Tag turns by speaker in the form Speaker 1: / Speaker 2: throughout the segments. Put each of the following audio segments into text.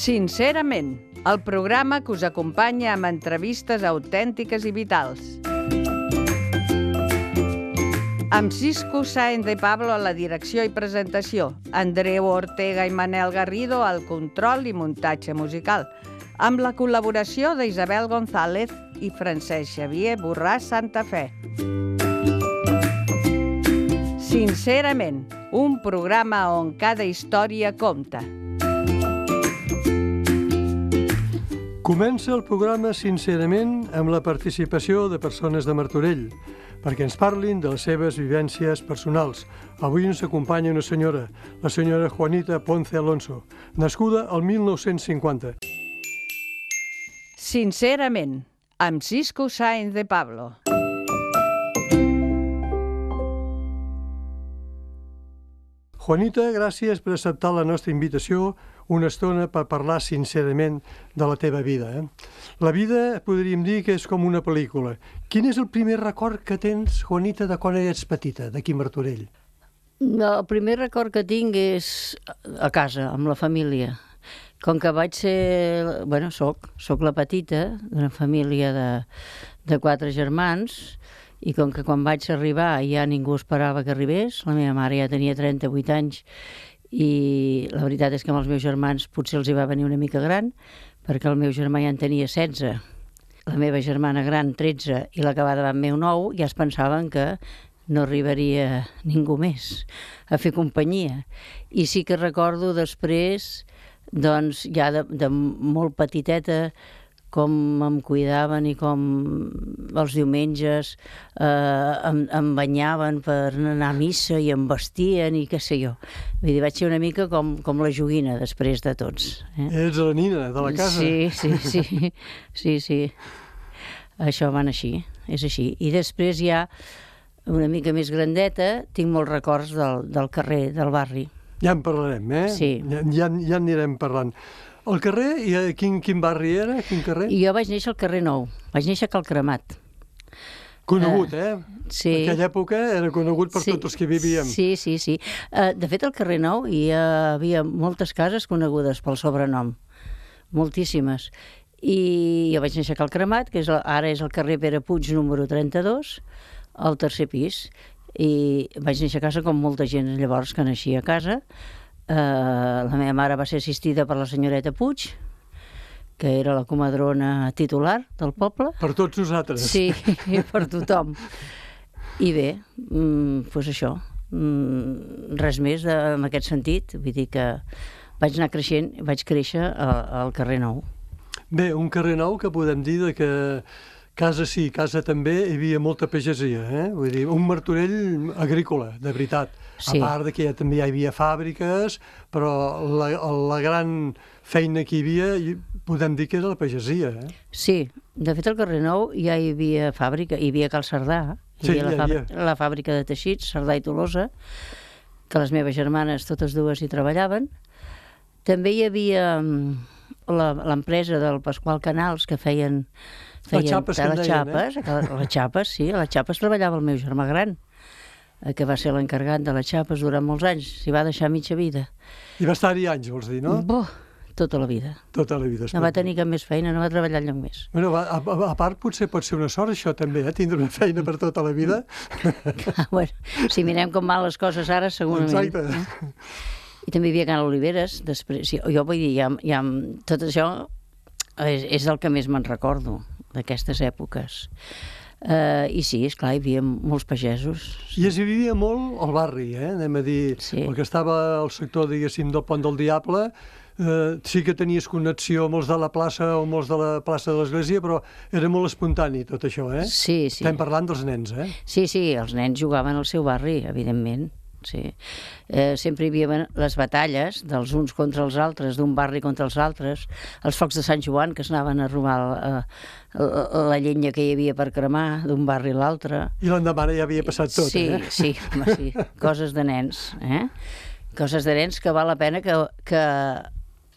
Speaker 1: Sincerament, el programa que us acompanya amb entrevistes autèntiques i vitals. Amb Cisco Sáenz de Pablo a la direcció i presentació, Andreu Ortega i Manel Garrido al control i muntatge musical, amb la col·laboració d'Isabel González i Francesc Xavier Borràs Santa Fe. Sincerament, un programa on cada història compta.
Speaker 2: Comença el programa Sincerament amb la participació de persones de Martorell, perquè ens parlin de les seves vivències personals. Avui ens acompanya una senyora, la senyora Juanita Ponce Alonso, nascuda al 1950.
Speaker 1: Sincerament, amb Cisco Sáenz de Pablo.
Speaker 2: Juanita, gràcies per acceptar la nostra invitació una estona per parlar sincerament de la teva vida. La vida podríem dir que és com una pel·lícula. Quin és el primer record que tens, Juanita, de quan eres petita, d'aquí a Martorell?
Speaker 3: El primer record que tinc és a casa, amb la família. Com que vaig ser... Bueno, soc la petita d'una família de 4 germans, i com que quan vaig arribar ja ningú esperava que arribés, la meva mare ja tenia 38 anys, i la veritat és que amb els meus germans potser els hi va venir una mica gran, perquè el meu germà ja en tenia 16, la meva germana gran 13 i l'acabada amb meu 9, ja es pensaven que no arribaria ningú més a fer companyia. I sí que recordo després, doncs ja de molt petiteta, com em cuidaven i com els diumenges em banyaven per anar a missa i em vestien i què sé jo. Vull dir, vaig ser una mica com la joguina després de tots.
Speaker 2: Ets la nina de la casa.
Speaker 3: Sí. Això van així, és així. I després ja, una mica més grandeta, tinc molts records del carrer, del barri.
Speaker 2: Ja en parlarem, eh?
Speaker 3: Sí.
Speaker 2: Ja anirem parlant. El carrer, quin barri era? Quin carrer?
Speaker 3: Jo vaig néixer al carrer Nou. Vaig néixer a Cal Cremat.
Speaker 2: Conegut,
Speaker 3: Sí.
Speaker 2: En aquella època era conegut per tots els que vivíem.
Speaker 3: Sí. De fet, al carrer Nou hi havia moltes cases conegudes pel sobrenom. Moltíssimes. I jo vaig néixer a Cal Cremat, que ara és el carrer Pere Puig, número 32, al tercer pis. I vaig néixer a casa com molta gent llavors que naixia a casa. La meva mare va ser assistida per la senyoreta Puig, que era la comadrona titular del poble.
Speaker 2: Per tots nosaltres.
Speaker 3: Sí, per tothom. I bé, doncs això, res més en aquest sentit. Vull dir que vaig anar creixent, vaig créixer al carrer Nou.
Speaker 2: Bé, un carrer Nou que podem dir que casa sí, casa també, hi havia molta pagesia, Vull dir, un Martorell agrícola, de veritat.
Speaker 3: Sí.
Speaker 2: A part de que també hi havia fàbriques, però la gran feina que hi havia, podem dir que era la pagesia,
Speaker 3: Sí, de fet al carrer Nou ja hi havia fàbrica, hi havia Cal Cerdà, la fàbrica de teixits, Cerdà i Tolosa, que les meves germanes, totes dues, hi treballaven. També hi havia l'empresa del Pasqual Canals, que feien
Speaker 2: les xapes,
Speaker 3: les xapes, sí, a les xapes treballava el meu germà gran, que va ser l'encarregat de les xapes durant molts anys, s'hi va deixar mitja vida.
Speaker 2: I va estar-hi anys, vols dir, no?
Speaker 3: Tota la vida.
Speaker 2: Tota la vida.
Speaker 3: No va tenir cap més feina, no va treballar enlloc més.
Speaker 2: Bueno, a part, potser pot ser una sort, això també, tindre una feina per tota la vida.
Speaker 3: Bueno, si mirem com van les coses ara, segurament.
Speaker 2: Exacte.
Speaker 3: I també hi havia Can Oliveres, després. Jo vull dir, tot això és el que més me'n recordo d'aquestes èpoques. I sí, esclar, hi havia molts pagesos.
Speaker 2: I es vivia molt al barri, anem a dir, perquè estava al sector, diguéssim, del Pont del Diable, sí que tenies connexió amb els de la plaça o amb els de la plaça de l'Església, però era molt espontani tot això,
Speaker 3: Sí.
Speaker 2: Estem parlant dels nens,
Speaker 3: Sí, els nens jugaven al seu barri, evidentment. Sí. Sempre hi havia les batalles dels uns contra els altres, d'un barri contra els altres, els focs de Sant Joan que s'anaven a robar la llenya que hi havia per cremar d'un barri a l'altre.
Speaker 2: I l'endemà ja havia passat tot,
Speaker 3: Sí, coses de nens, Coses de nens que val la pena que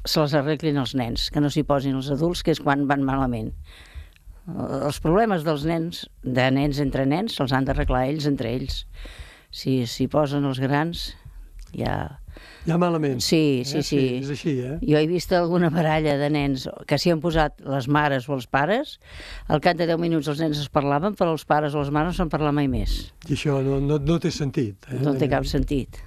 Speaker 3: se les arreglin els nens, que no s'hi posin els adults, que és quan van malament. Els problemes dels nens, de nens entre nens, se'ls han d'arreglar ells entre ells. Si s'hi posen els grans, ja
Speaker 2: Ja malament.
Speaker 3: Sí.
Speaker 2: És així, eh?
Speaker 3: Jo he vist alguna baralla de nens que s'hi han posat les mares o els pares, al cap de 10 minuts els nens es parlaven, però els pares o les mares no se'n parla mai més.
Speaker 2: I això no té sentit.
Speaker 3: No té cap sentit.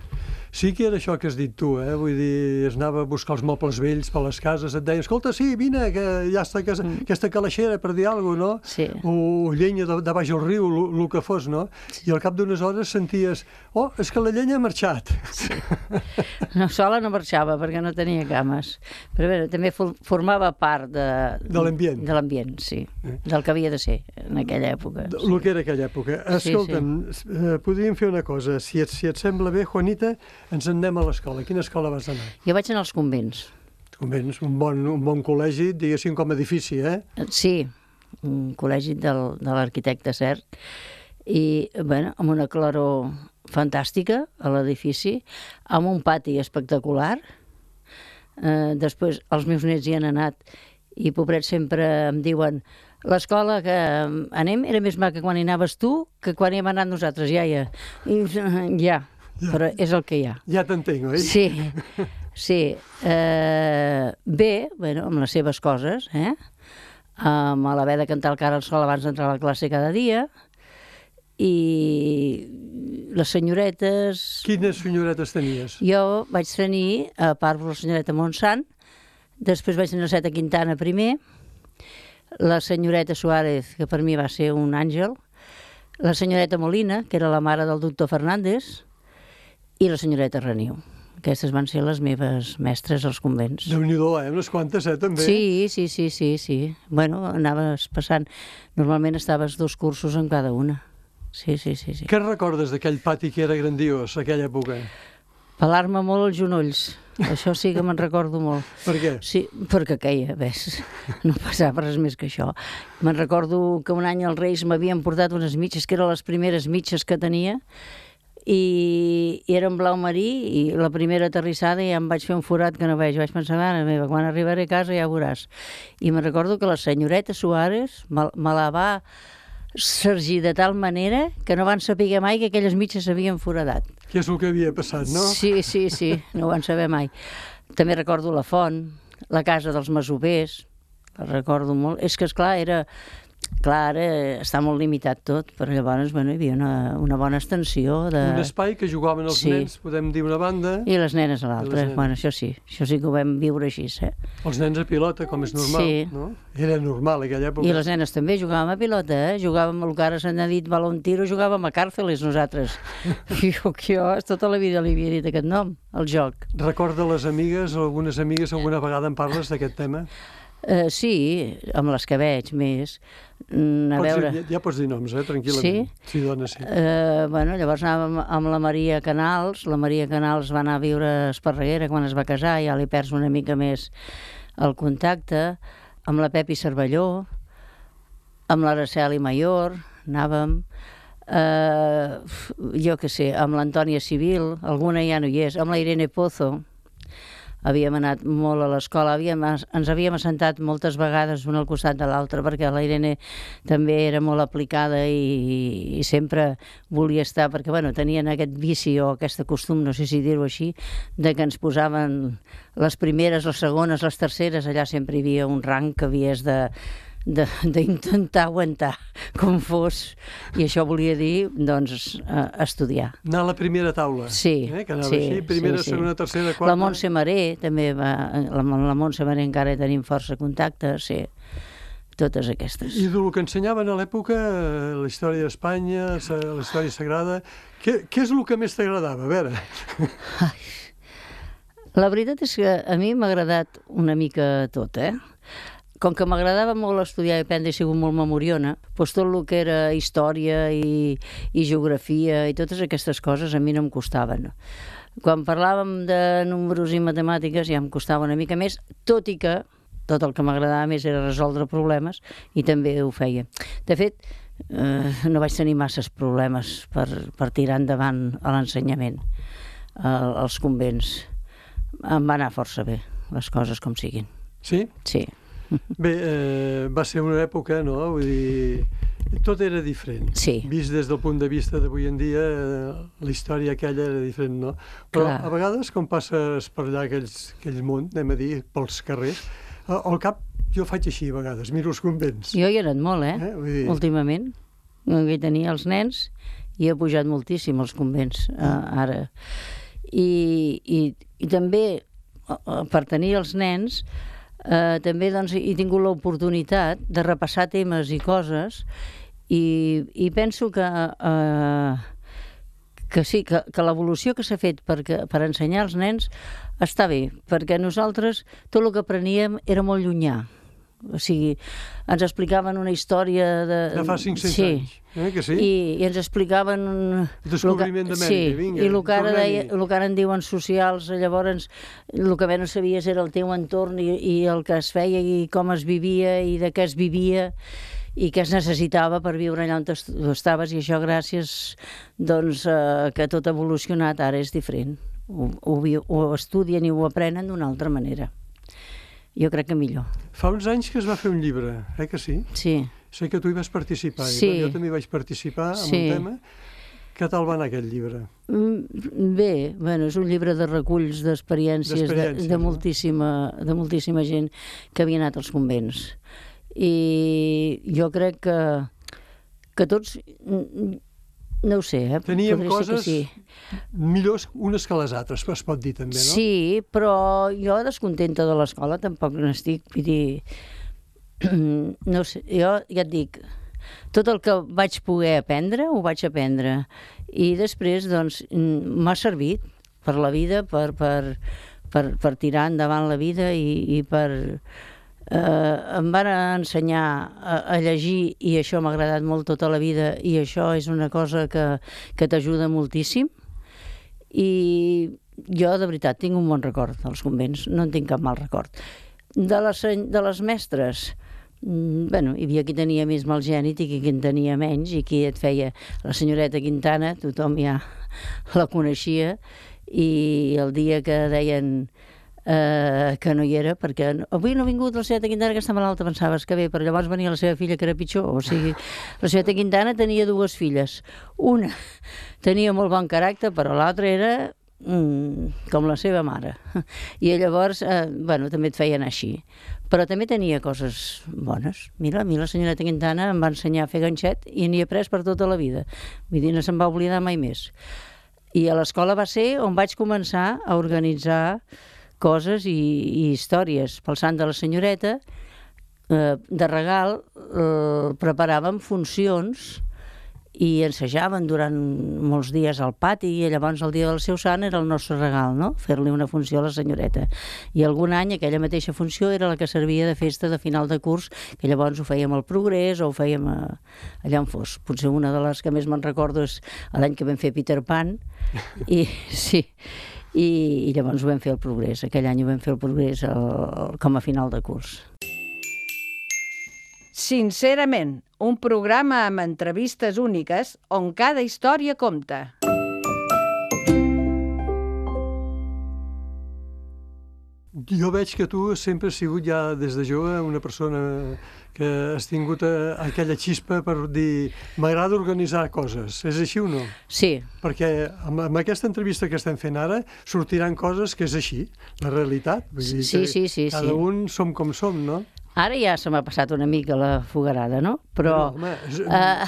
Speaker 2: Sí que era això que has dit tu, vull dir, es anava a buscar els mobles vells per les cases, et deia, escolta, sí, vine, que ja està aquesta calaixera, per dir alguna cosa, no?
Speaker 3: Sí.
Speaker 2: O llenya de baix al riu, el que fos, no? Sí. I al cap d'unes hores senties, oh, és que la llenya ha marxat.
Speaker 3: Sí. No, sola no marxava, perquè no tenia cames. Però bé, també formava part
Speaker 2: de l'ambient.
Speaker 3: De l'ambient, sí. Del que havia de ser en aquella època.
Speaker 2: El que era aquella època. Escolta'm, podríem fer una cosa. Si et sembla bé, Juanita, ens en anem a l'escola. A quina escola vas anar?
Speaker 3: Jo vaig anar als convents.
Speaker 2: Convents, un bon col·legi, diguéssim, com a edifici, eh?
Speaker 3: Sí, un col·legi de l'arquitecte Cert. I, bueno, amb una claror fantàstica a l'edifici, amb un pati espectacular. Després els meus nets hi han anat i, pobrets, sempre em diuen l'escola que anem era més maca quan hi anaves tu que quan hi hem anat nosaltres, iaia. I ja, però és el que hi ha.
Speaker 2: Ja t'entenc, oi?
Speaker 3: Sí. Bé, bueno, amb les seves coses, amb l'haver de cantar el cara al sol abans d'entrar a la classe cada dia, i les senyoretes...
Speaker 2: Quines senyoretes tenies?
Speaker 3: Jo vaig tenir, a part de la senyoreta Montsant, després vaig tenir la Seta Quintana primer, la senyoreta Suárez, que per mi va ser un àngel, la senyoreta Molina, que era la mare del doctor Fernández, i la senyoreta Reniu. Aquestes van ser les meves mestres als convents.
Speaker 2: Déu-n'hi-do, unes quantes, també?
Speaker 3: Sí. Bueno, anaves passant. Normalment estaves 2 cursos en cada una. Sí.
Speaker 2: Què recordes d'aquell pati que era grandiós, aquella època?
Speaker 3: Pelar-me molt els genolls. Això sí que me'n recordo molt.
Speaker 2: Per què?
Speaker 3: Sí, perquè queia, ves. No passava res més que això. Me'n recordo que un any els Reis m'havien portat unes mitges, que eren les primeres mitges que tenia, i eren blau marí, i la primera aterrissada ja em vaig fer un forat que no veig. Vaig pensar, mare meva, quan arribaré a casa ja ho veuràs. I me'n recordo que la senyoreta Suárez me la va sergir de tal manera que no van saber mai que aquelles mitges s'havien foradat.
Speaker 2: Què és el que havia passat, no?
Speaker 3: Sí, no ho van saber mai. També recordo la font, la casa dels masovers, la recordo molt. És que, esclar, ara està molt limitat tot, però llavors, bueno, hi havia una bona extensió de...
Speaker 2: Un espai que jugaven els nens, podem dir, una banda...
Speaker 3: I les nenes a l'altra. Bueno, això sí que ho vam viure així,
Speaker 2: Els nens a pilota, com és normal, no? Era normal aquella època.
Speaker 3: I les nenes també jugàvem a pilota, Jugàvem el que ara s'ha dit balón tiro, jugàvem a càrceles nosaltres. Jo tota la vida li havia dit aquest nom, el joc.
Speaker 2: Recorda les amigues, alguna vegada en parles d'aquest tema?
Speaker 3: Sí, amb les que veig més.
Speaker 2: Ja pots dir noms, tranquil·lament. Sí, dona, sí.
Speaker 3: Bueno, llavors anàvem amb la Maria Canals. La Maria Canals va anar a viure a Esparreguera quan es va casar, ja li perds una mica més el contacte. Amb la Pepi Cervelló, amb l'Araceli Mayor, anàvem. Jo què sé, amb l'Antònia Civil, alguna ja no hi és, amb la Irene Pozo. Havíem anat molt a l'escola, ens havíem assentat moltes vegades un al costat de l'altre, perquè la Irene també era molt aplicada i sempre volia estar, perquè tenien aquest vici o aquest costum, no sé si dir-ho així, de que ens posaven les primeres, les segones, les terceres, allà sempre hi havia un rang que havies d'intentar aguantar com fos, i això volia dir, doncs, estudiar.
Speaker 2: Anar a la primera taula.
Speaker 3: Sí.
Speaker 2: Que anava així, primera, segona, tercera, quarta...
Speaker 3: La Montse Maré també va... La Montse Maré encara tenim força contacte, sí. Totes aquestes.
Speaker 2: I del que ensenyaven a l'època, la història d'Espanya, la història sagrada, què és el que més t'agradava? A veure...
Speaker 3: La veritat és que a mi m'ha agradat una mica tot, Com que m'agradava molt estudiar i aprendre, he sigut molt memoriona, doncs tot el que era història i geografia i totes aquestes coses a mi no em costaven. Quan parlàvem de números i matemàtiques ja em costava una mica més, tot i que tot el que m'agradava més era resoldre problemes i també ho feia. De fet, no vaig tenir masses problemes per tirar endavant a l'ensenyament als convents. Em va anar força bé, les coses com siguin.
Speaker 2: Sí?
Speaker 3: Sí.
Speaker 2: Bé, va ser una època, no? Vull dir, Tot era diferent.
Speaker 3: Sí.
Speaker 2: Vist des del punt de vista d'avui en dia, la història aquella era diferent, no? Però
Speaker 3: Clar.
Speaker 2: a vegades, quan passes per allà aquell món, anem a dir, pels carrers, al cap jo faig així a vegades, miro els convents.
Speaker 3: Jo hi he anat molt,
Speaker 2: Vull dir...
Speaker 3: últimament. Que tenia els nens i he pujat moltíssim als convents ara. I també, per tenir els nens, també doncs, he tingut l'oportunitat de repassar temes i coses i penso que sí, que l'evolució que s'ha fet per ensenyar als nens està bé, perquè nosaltres tot el que apreníem era molt llunyà. O sigui, ens explicaven una història de
Speaker 2: fa 500 anys, que sí?
Speaker 3: I ens explicaven...
Speaker 2: Descobriment d'Amèrica, vinga.
Speaker 3: I el que ara en diuen socials, llavors el que bé no sabies era el teu entorn i el que es feia i com es vivia i de què es vivia i què es necessitava per viure allà on tu estaves, i això gràcies doncs, que tot ha evolucionat, ara és diferent. Ho estudien i ho aprenen d'una altra manera. Jo crec que millor.
Speaker 2: Fa uns anys que es va fer un llibre, que sí?
Speaker 3: Sí.
Speaker 2: Sé que tu hi vas participar,
Speaker 3: sí.
Speaker 2: Jo també vaig participar en un tema. Què tal va anar aquest llibre?
Speaker 3: Bé, bueno, és un llibre de reculls d'experiències de moltíssima gent que havia anat als convents. I jo crec que tots... No ho sé,
Speaker 2: Teníem coses millors unes que les altres, es pot dir també, no?
Speaker 3: Sí, però jo descontenta de l'escola tampoc n'estic, vull dir... No sé, jo ja et dic, tot el que vaig poder aprendre, ho vaig aprendre. I després, doncs, m'ha servit per la vida, per tirar endavant la vida i per... em van ensenyar a llegir i això m'ha agradat molt tota la vida i això és una cosa que t'ajuda moltíssim i jo de veritat tinc un bon record dels convents, no en tinc cap mal record. De les mestres, bueno, hi havia qui tenia més malgènit i qui en tenia menys i qui et feia la senyoreta Quintana, tothom ja la coneixia, i el dia que deien que no hi era, perquè avui no ha vingut la senyora Quintana que està malalta, pensaves que bé, però llavors venia la seva filla que era pitjor. O sigui, la senyora Quintana tenia dues filles. Una tenia molt bon caràcter, però l'altra era com la seva mare. I llavors, bueno, també et feien així. Però també tenia coses bones. Mira, a mi la senyoreta Quintana em va ensenyar a fer ganxet i n'hi he après per tota la vida. Vull dir, no se'n va oblidar mai més. I a l'escola va ser on vaig començar a organitzar coses i històries. Pel sant de la senyoreta, de regal, preparàvem funcions i ensajaven durant molts dies al pati i llavors el dia del seu sant era el nostre regal, no? Fer-li una funció a la senyoreta. I algun any aquella mateixa funció era la que servia de festa de final de curs, que llavors ho fèiem al Progrés o ho fèiem allà on fos. Potser una de les que més me'n recordo és l'any que vam fer Peter Pan i sí, i llavors ho vam fer al Progrés. Aquell any ho vam fer al Progrés com a final de curs.
Speaker 1: Sincerament, un programa amb entrevistes úniques on cada història compta.
Speaker 2: Jo veig que tu sempre has sigut ja des de jove una persona que has tingut aquella xispa per dir m'agrada organitzar coses. És així o no?
Speaker 3: Sí.
Speaker 2: Perquè amb aquesta entrevista que estem fent ara sortiran coses que és així, la realitat. Vull dir
Speaker 3: sí.
Speaker 2: Cada un som com som, no?
Speaker 3: Ara ja se m'ha passat una mica la fogarada, no? Però...
Speaker 2: No, home,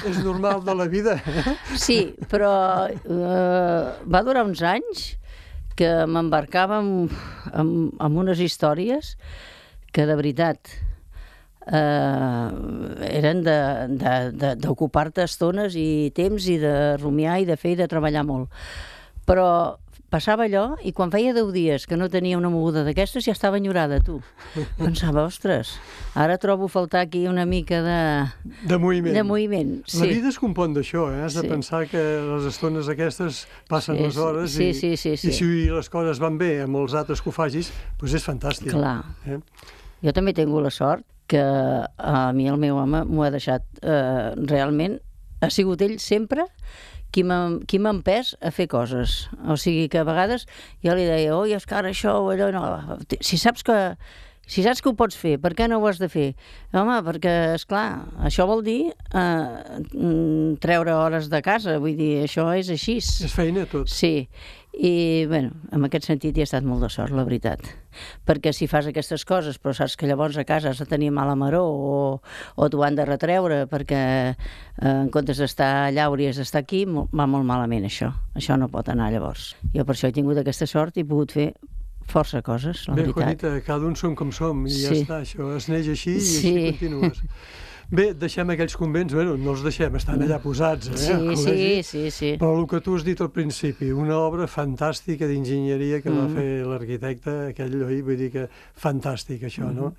Speaker 2: és normal de la vida.
Speaker 3: Sí, però va durar uns anys que m'embarcava en unes històries que de veritat eren d'ocupar-te estones i temps i de rumiar i de fer i de treballar molt. Però passava allò i quan feia 10 dies que no tenia una moguda d'aquestes ja estava enyorada, tu. Pensava, ostres, ara trobo faltar aquí una mica
Speaker 2: de moviment.
Speaker 3: De moviment, sí.
Speaker 2: La vida es compon d'això, Has de pensar que les estones aquestes passen les hores i si les coses van bé amb els altres que ho facis, doncs és fantàstic.
Speaker 3: Clar. Jo també tinc la sort que a mi el meu home m'ho ha deixat realment, ha sigut ell sempre qui m'ha empès a fer coses. O sigui que a vegades jo li deia, oi, és que ara això o allò, no. Si saps que Si saps que ho pots fer, per què no ho has de fer? Home, perquè, esclar, això vol dir treure hores de casa, vull dir, això és així.
Speaker 2: És feina, tot.
Speaker 3: Sí, i, bueno, en aquest sentit hi ha estat molt de sort, la veritat. Perquè si fas aquestes coses, però saps que llavors a casa has de tenir mala maror o t'ho han de retreure perquè en comptes d'estar allà hauries d'estar aquí, va molt malament això. Això no pot anar llavors. Jo per això he tingut aquesta sort i he pogut fer força coses, la veritat.
Speaker 2: Bé, Juanita, cada un som com som i ja està, això es neix així i així continues. Bé, deixem aquells convents, bueno, no els deixem, estan allà posats,
Speaker 3: Sí.
Speaker 2: Però el que tu has dit al principi, una obra fantàstica d'enginyeria que va fer l'arquitecte, aquell, oi? Vull dir que fantàstic, això, no?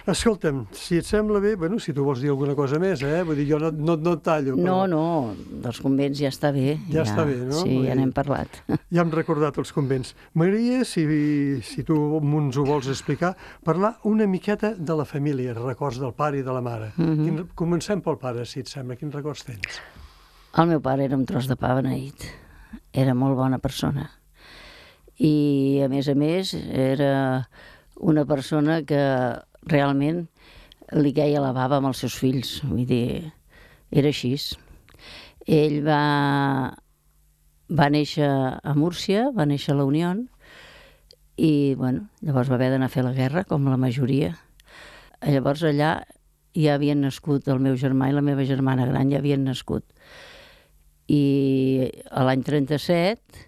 Speaker 2: Escolta'm, si et sembla bé, bueno, si tu vols dir alguna cosa més, vull dir, jo no et tallo. Però...
Speaker 3: No, dels convents ja està bé.
Speaker 2: Ja està bé, no?
Speaker 3: Sí, ja n'hem parlat.
Speaker 2: Ja hem recordat els convents. M'agradaria, si tu ens ho vols explicar, parlar una miqueta de la família, records del pare i de la mare. Comencem pel pare, si et sembla. Quins records tens?
Speaker 3: El meu pare era un tros de pa beneït. Era molt bona persona. I, a més, era una persona que realment li queia la bava amb els seus fills. Vull dir, era així. Ell va néixer a Múrcia, va néixer a la Unió i, bueno, llavors va haver d'anar a fer la guerra, com la majoria. Llavors allà ja havien nascut el meu germà i la meva germana gran, ja havien nascut. I a l'any 37,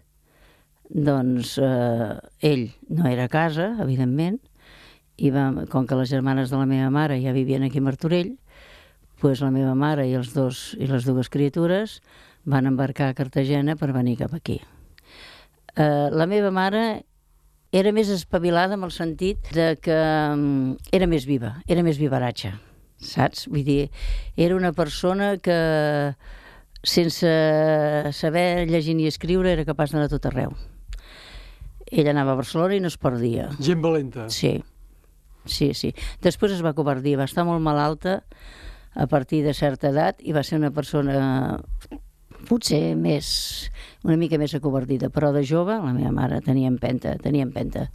Speaker 3: doncs, ell no era a casa, evidentment, i com que les germanes de la meva mare ja vivien aquí a Martorell, doncs la meva mare i les dues criatures van embarcar a Cartagena per venir cap aquí. La meva mare era més espavilada en el sentit de que era més viva, era més vivaratge, saps? Vull dir, era una persona que sense saber llegir ni escriure era capaç d'anar a tot arreu. Ella anava a Barcelona i no es perdia.
Speaker 2: Gent valenta.
Speaker 3: Sí. Després es va acovardir, va estar molt malalta a partir de certa edat i va ser una persona potser una mica més acovardida, però de jove, la meva mare tenia empenta.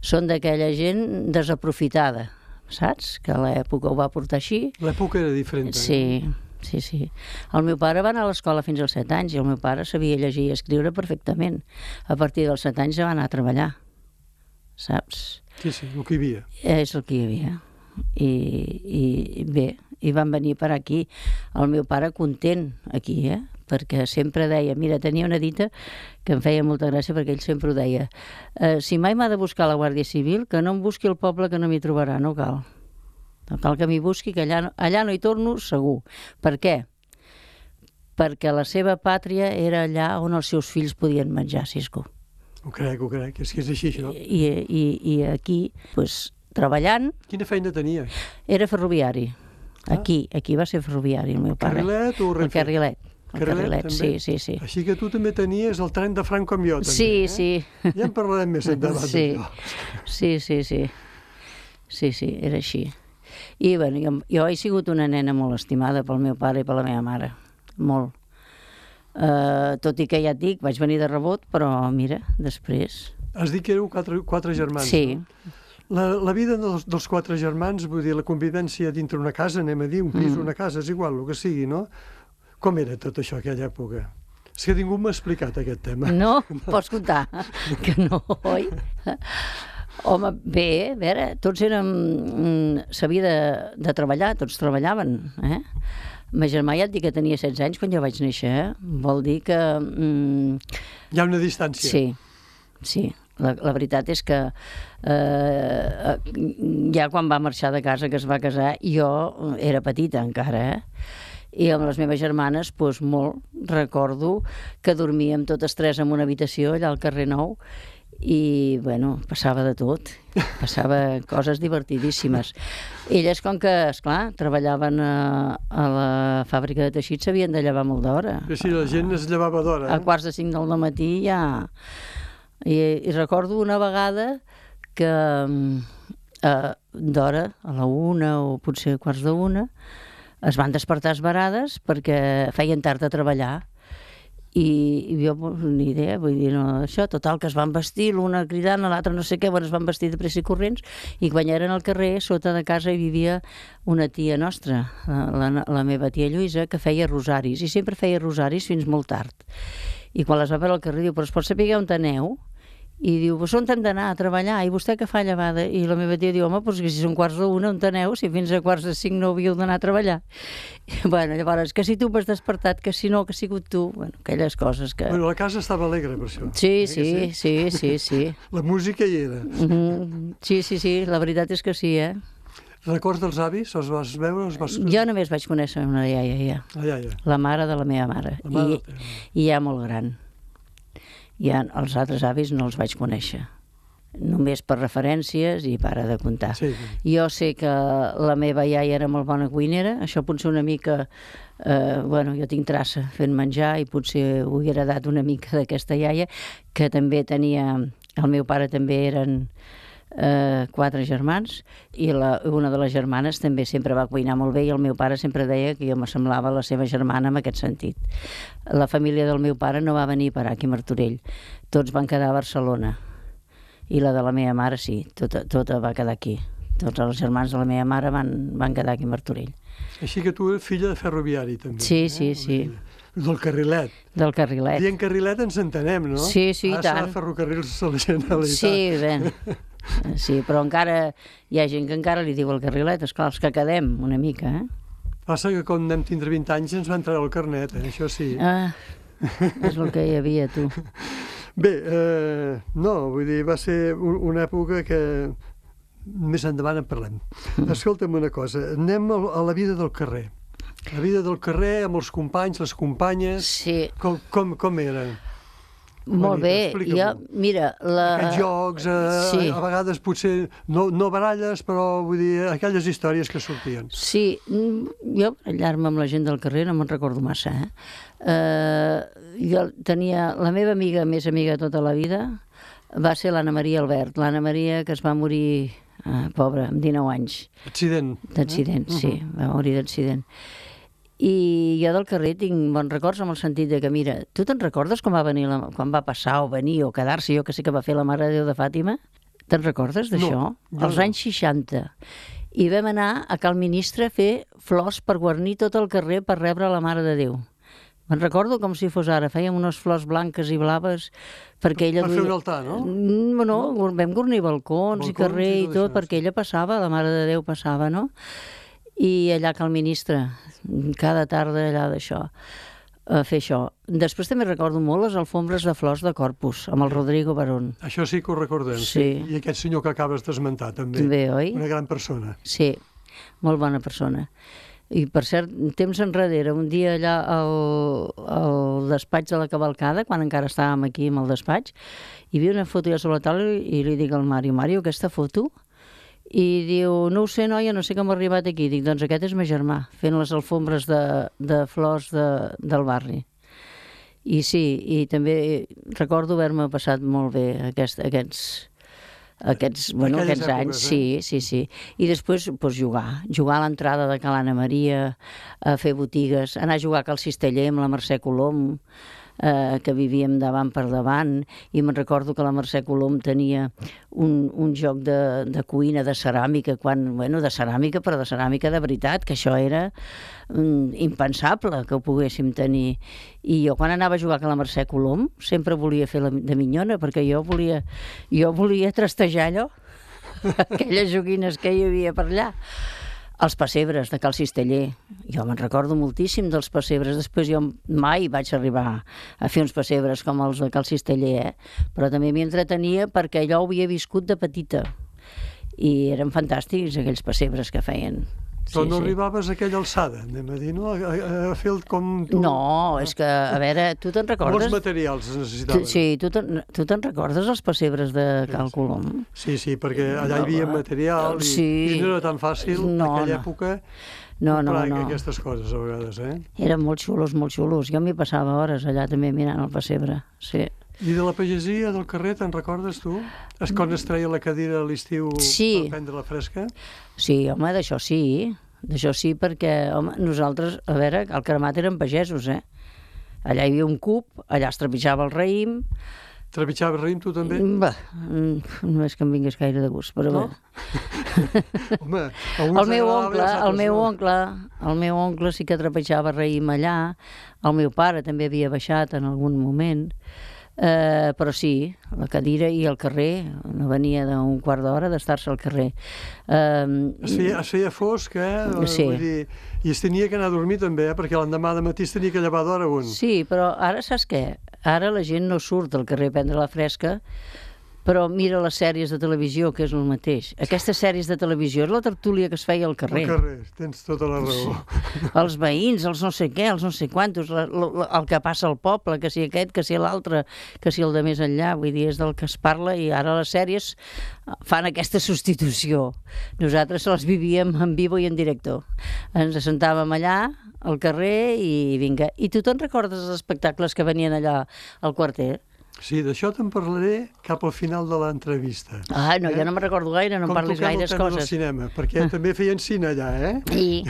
Speaker 3: Són d'aquella gent desaprofitada, saps? Que a l'època ho va portar així.
Speaker 2: L'època era diferent.
Speaker 3: Sí. El meu pare va anar a l'escola fins als 7 anys i el meu pare sabia llegir i escriure perfectament. A partir dels 7 anys ja va anar a treballar, saps?
Speaker 2: Sí, el que hi havia.
Speaker 3: És el que hi havia. I bé, i van venir per aquí. El meu pare content aquí, perquè sempre deia, mira, tenia una dita que em feia molta gràcia perquè ell sempre ho deia, si mai m'ha de buscar la Guàrdia Civil, que no em busqui el poble que no m'hi trobarà, no cal. No cal que m'hi busqui, que allà no hi torno segur. Per què? Perquè la seva pàtria era allà on els seus fills podien menjar, Cisco.
Speaker 2: Ho crec, és que és així, això.
Speaker 3: I aquí, doncs, treballant...
Speaker 2: Quina feina tenia?
Speaker 3: Era ferroviari. Aquí va ser ferroviari, el meu pare.
Speaker 2: Carrilet o Renfe?
Speaker 3: El Carrilet, sí.
Speaker 2: Així que tu també tenies el tren de Franco amb jo, també.
Speaker 3: Sí.
Speaker 2: Ja en parlarem més endavant d'això.
Speaker 3: Sí, era així. I, bueno, jo he sigut una nena molt estimada pel meu pare i per la meva mare. Molt. Tot i que ja et dic, vaig venir de rebot, però mira, després...
Speaker 2: Has dit que éreu 4 germans,
Speaker 3: sí.
Speaker 2: No? La vida dels 4 germans, vull dir, la convivència dintre una casa, anem a dir, un pis, una casa, és igual, el que sigui, no? Com era tot això, aquella època? És que ningú m'ha explicat aquest tema.
Speaker 3: No? Pots contar que no, oi? Home, bé, a veure, tots s'havia de treballar, tots treballaven, Ma germà ja et dic que tenia 16 anys quan jo vaig néixer, Vol dir que...
Speaker 2: Hi ha una distància.
Speaker 3: Sí. La veritat és que ja quan va marxar de casa, que es va casar, jo era petita encara, I amb les meves germanes, doncs molt, recordo que dormíem totes 3 en una habitació allà al carrer Nou, i, bueno, passava de tot, passava coses divertidíssimes. Elles, com que, esclar, treballaven a la fàbrica de teixits, s'havien de llevar molt d'hora.
Speaker 2: Sí, la gent es llevava d'hora.
Speaker 3: A 4:45 del matí ja... I recordo una vegada que d'hora, a la 1 o potser a 1:15, es van despertar esverades perquè feien tard a treballar. I jo, ni idea, vull dir, no, això, total, que es van vestir, l'una cridant, l'altra no sé què, bueno, es van vestir de pressa i corrents, i quan eren al carrer, sota de casa hi vivia una tia nostra, la meva tia Lluïsa, que feia rosaris, i sempre feia rosaris fins molt tard. I quan les va veure al carrer, diu, però es pot saber on aneu? I diu, pues on hem d'anar a treballar? I vostè què fa llevada? I la meva tia diu, home, pues que si són 4:45, on aneu? Si fins a 4:45 no havíeu d'anar a treballar. I, bueno, llavors, que si tu m'has despertat, que si no, que ha sigut tu, bueno, aquelles coses que...
Speaker 2: Bueno, la casa estava alegre, per això.
Speaker 3: Sí.
Speaker 2: La música hi era.
Speaker 3: Sí, la veritat és que sí, eh?
Speaker 2: Records dels avis? Els vas veure?
Speaker 3: Jo només vaig conèixer una iaia,
Speaker 2: La iaia.
Speaker 3: la mare de la meva mare, i ja molt gran. Ja els altres avis no els vaig conèixer, només per referències i para de comptar.
Speaker 2: Sí.
Speaker 3: Jo sé que la meva iaia era molt bona cuinera, això potser una mica, bueno, jo tinc traça fent menjar i potser ho he heredat una mica d'aquesta iaia, que també tenia, el meu pare també eren 4 germans, i una de les germanes també sempre va cuinar molt bé, i el meu pare sempre deia que jo m'assemblava a la seva germana en aquest sentit. La família del meu pare no va venir per aquí a Martorell, tots van quedar a Barcelona, i la de la meva mare sí, tota va quedar aquí. Tots els germans de la meva mare van quedar aquí a Martorell.
Speaker 2: Així que tu eres filla de ferroviari, també.
Speaker 3: Sí.
Speaker 2: Del Carrilet.
Speaker 3: Del Carrilet.
Speaker 2: Dient Carrilet ens entenem, no?
Speaker 3: Sí, i tant.
Speaker 2: Ara ferrocarrils a la Generalitat.
Speaker 3: Sí, bé. Sí, però encara hi ha gent que encara li diu el Carrilet, esclar, els que quedem una mica, eh?
Speaker 2: Passa que quan vam tindre 20 anys ens va entrar el carnet, això sí.
Speaker 3: És el que hi havia, tu.
Speaker 2: Bé, no, vull dir, va ser una època que més endavant en parlem. Escolta'm una cosa, anem a la vida del carrer. La vida del carrer amb els companys, les companyes...
Speaker 3: Sí.
Speaker 2: Com era?
Speaker 3: Molt bé, jo, mira...
Speaker 2: Aquests jocs, a vegades potser no baralles, però vull dir, aquelles històries que sortien.
Speaker 3: Sí, jo barallar-me amb la gent del carrer no me'n recordo massa, jo tenia... La meva amiga, més amiga tota la vida, va ser l'Anna Maria Albert. L'Anna Maria, que es va morir, pobra, amb 19 anys.
Speaker 2: Accident.
Speaker 3: D'accident, sí, va morir d'accident. I jo del carrer tinc bons records amb el sentit de que, mira, tu te'n recordes quan va passar o venir o quedar-se, jo que sé que va fer la Mare de Déu de Fàtima? Te'n recordes d'això?
Speaker 2: No,
Speaker 3: als anys 60. I vam anar a Cal Ministre a fer flors per guarnir tot el carrer per rebre la Mare de Déu. Me'n recordo com si fos ara, fèiem unes flors blanques i blaves perquè ella...
Speaker 2: Per fer un altar, no?
Speaker 3: No, vam guarnir balcons i carrer i tot, perquè ella passava, la Mare de Déu passava, no? I allà a Cal Ministre, cada tarda allà d'això, a fer això. Després també recordo molt les alfombres de flors de Corpus, amb el Rodrigo Barón.
Speaker 2: Això sí que ho recordem,
Speaker 3: sí.
Speaker 2: I aquest senyor que acabes d'esmentar, també.
Speaker 3: També, oi?
Speaker 2: Una gran persona.
Speaker 3: Sí, molt bona persona. I, per cert, temps enrere, un dia allà al despatx de la Cavalcada, quan encara estàvem aquí amb el despatx, hi havia una foto ja sobre la taula i li dic al Mario, aquesta foto? I diu, no ho sé, noia, no sé com ha arribat aquí. Dic, doncs aquest és meu germà, fent les alfombres de flors del barri. I sí, i també recordo haver-me passat molt bé aquests
Speaker 2: èpoques,
Speaker 3: anys. Sí. I després jugar a l'entrada de Cal Anna Maria, a fer botigues, anar a jugar a Cal Cisteller amb la Mercè Colom, que vivíem davant per davant, i me'n recordo que la Mercè Colom tenia un joc de cuina, de ceràmica, de ceràmica, però de ceràmica de veritat, que això era impensable que ho poguéssim tenir. I jo quan anava a jugar a la Mercè Colom sempre volia fer de minyona, perquè jo volia trastejar allò, aquelles joguines que hi havia per allà. Els pessebres de Cal Cisteller, jo me'n recordo moltíssim dels pessebres. Després jo mai vaig arribar a fer uns pessebres com els de Cal Cisteller, però també m'hi entretenia perquè allò ho havia viscut de petita i eren fantàstics aquells pessebres que feien.
Speaker 2: Però no arribaves a aquella alçada, anem a dir, no? A fer com tu...
Speaker 3: No, és que, a veure, tu te'n recordes?
Speaker 2: Molts materials es necessitaven.
Speaker 3: Sí, tu te'n recordes els pessebres de Cal Colom?
Speaker 2: Sí, perquè allà hi havia material i no era tan fàcil en aquella època comprar aquestes coses a vegades,
Speaker 3: Eren molt xulos. Jo m'hi passava hores allà també mirant el pessebre, sí.
Speaker 2: I de la pagesia del carrer, te'n recordes tu? Quan es treia la cadira a l'estiu per prendre la fresca?
Speaker 3: Sí, home, d'això sí, perquè, home, nosaltres, a veure, al Cremat eren pagesos, Allà hi havia un cub, allà es trepitjava el raïm.
Speaker 2: Trepitjava raïm tu també?
Speaker 3: Bé, no és que em vingués gaire de gust, però
Speaker 2: no? Home,
Speaker 3: el meu oncle sí que trepitjava raïm allà, el meu pare també havia baixat en algun moment, però sí, la cadira i el carrer, no venia d'un quart d'hora d'estar-se al carrer.
Speaker 2: Es feia fosc,
Speaker 3: Sí.
Speaker 2: Vull dir, i es tenia que anar a dormir també, perquè l'endemà de matí es tenia que llevar d'hora un.
Speaker 3: Sí, però ara saps què? Ara la gent no surt al carrer a prendre la fresca, però mira les sèries de televisió, que és el mateix. Aquestes sèries de televisió és la tertúlia que es feia al carrer.
Speaker 2: Al carrer, tens tota la raó.
Speaker 3: Sí. Els veïns, els no sé què, els no sé quantos, el que passa al poble, que si aquest, que si l'altre, que si el de més enllà, vull dir, és del que es parla, i ara les sèries fan aquesta substitució. Nosaltres les vivíem en vivo i en directo. Ens assentàvem allà, al carrer, i vinga. I tu te'n recordes els espectacles que venien allà al quarter?
Speaker 2: Sí, d'això te'n parlaré cap al final de l'entrevista.
Speaker 3: Ah, no, jo no me'n recordo gaire, no em parlis gaires coses.
Speaker 2: Com toquem el tema del cinema, perquè també feien cine allà,
Speaker 3: Sí,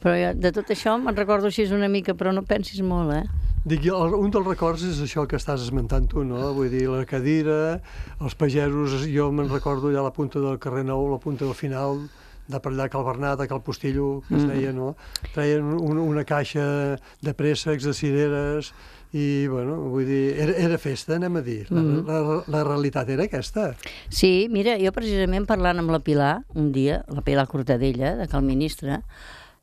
Speaker 3: però jo, de tot això me'n recordo així una mica, però no pensis molt,
Speaker 2: Dic, un dels records és això que estàs esmentant tu, no? Vull dir, la cadira, els pagesos, jo me'n recordo allà a la punta del carrer Nou, la punta del final, de per allà Cal Bernat, a Cal Postillo, que es deia, no? Treien una caixa de préssecs, de cireres, i, bueno, vull dir, era festa, anem a dir. La realitat era aquesta.
Speaker 3: Sí, mira, jo precisament parlant amb la Pilar, un dia, la Pilar Cortadella, de Cal Ministre,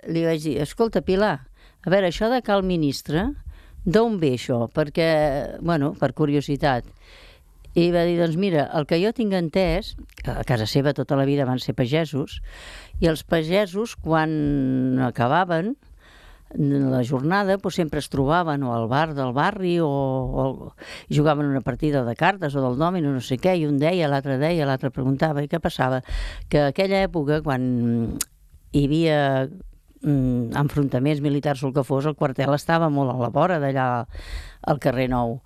Speaker 3: li vaig dir, escolta, Pilar, a veure, això de Cal Ministre, d'on ve això? Perquè, bueno, per curiositat. I va dir, doncs mira, el que jo tinc entès, a casa seva tota la vida van ser pagesos, i els pagesos, quan acabaven la jornada, doncs sempre es trobaven o al bar del barri o jugaven una partida de cartes o del dòmino, no sé què, i un deia, l'altre preguntava, i què passava? Que a aquella època, quan hi havia enfrontaments militars o el que fos, el quartel estava molt a la vora d'allà al carrer Nou.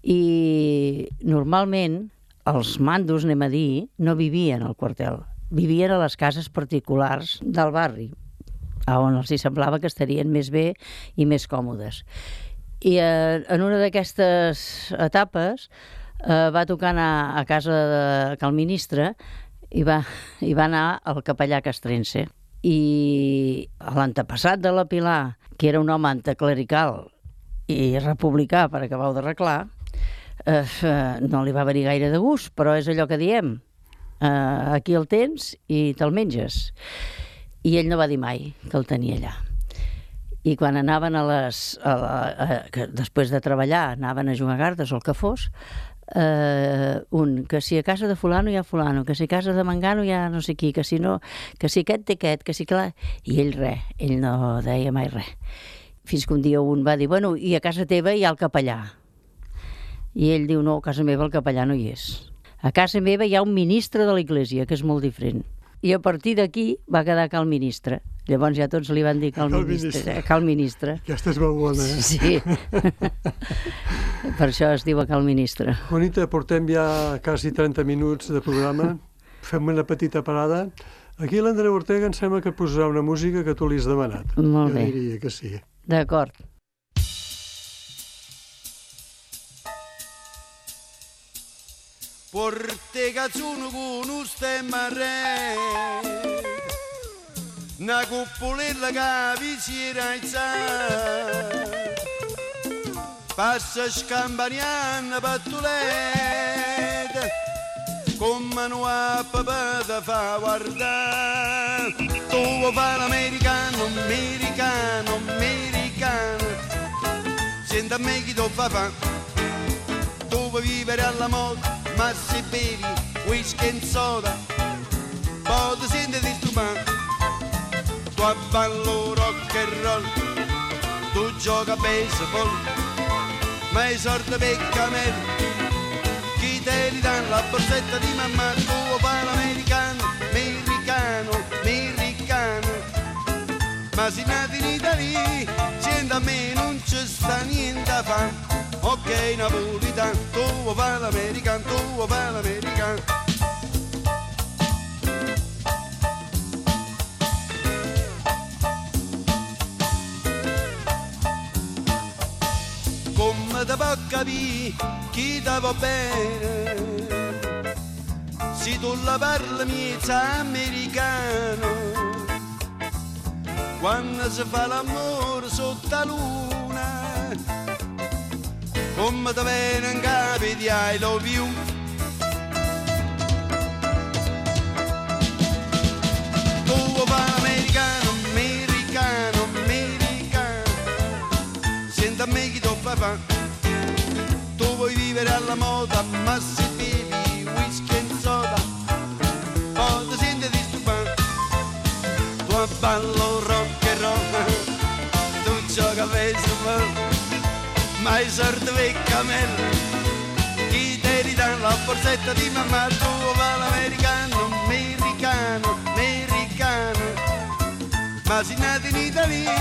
Speaker 3: I normalment els mandos, anem a dir, no vivien al quartel, vivien a les cases particulars del barri, on els hi semblava que estarien més bé i més còmodes. I en una d'aquestes etapes va tocar anar a casa de Cal Ministre i va anar al capellà Castrense. I l'antepassat de la Pilar, que era un home anticlerical i republicà per acabar d'arreglar, no li va venir gaire de gust, però és allò que diem, aquí el tens i te'l menges. I ell no va dir mai que el tenia allà. I quan anaven després de treballar, anaven a jugar a cartes o el que fos, que si a casa de fulano hi ha fulano, que si a casa de mangano hi ha no sé qui, que si aquest té aquest, que si clar... I ell ell no deia mai res. Fins que un dia un va dir, bueno, i a casa teva hi ha el capellà. I ell diu, no, a casa meva el capellà no hi és. A casa meva hi ha un ministre de l'Església, que és molt diferent. I a partir d'aquí va quedar Cal Ministre. Llavors ja tots li van dir Cal Ministre.
Speaker 2: Aquesta és molt bona,
Speaker 3: Sí. Per això es diu Cal Ministre.
Speaker 2: Juanita, portem ja quasi 30 minuts de programa. Fem una petita parada. Aquí l'Andreu Ortega em sembla que posarà una música que tu li has demanat.
Speaker 3: Molt bé.
Speaker 2: Jo diria que sí.
Speaker 3: D'acord.
Speaker 4: Ortega sono con un stemma re, una cuppolella che vi si era alzata, passa scampaniana pattuletta, come non ha papà da fa guardare, tu vuoi fare l'americano, americano, americano, senta a me chi tu fa, tu vuoi vivere alla moda, ma se bevi whisky e soda, poi ti senti disturbato. Tu ballo rock and roll, tu gioca a baseball, ma i soldi per cammelli, chi te li danno la borsetta di mamma, tu fai l'americano, americano, americano. Ma se nati in Italia, senti a me non ci sta niente a fare. Ok, napolitano, tu vuoi fare l'americano, tu vuoi fare l'americano. capire chi ti va bene. Se tu la parli miezza americano, quando si fa l'amore sotto la luna, come ti viene in capo di I love you. Tu vuoi fare americano, americano, americano, senta a me chi ti fa. Tu vuoi vivere alla moda, ma se bevi whisky e soda, poi ti senti disturbato. Tu ballo rock and roll, tu gioca a baseball, ma i sordi per cammello, chi te ridà la borsetta di mamma. Tu va l'americano, americano, americano, ma se nati in Italia,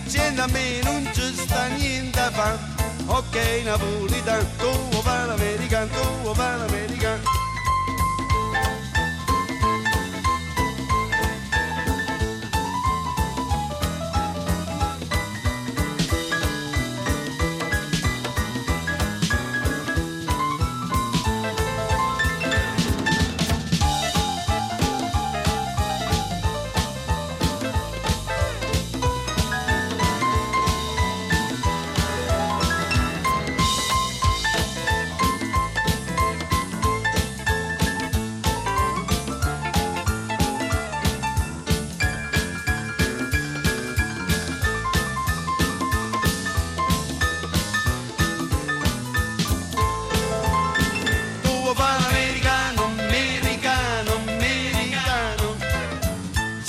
Speaker 4: senta a me non ci sta niente a fare. Ok, napolitano, tu va l'americano, tu va l'americano.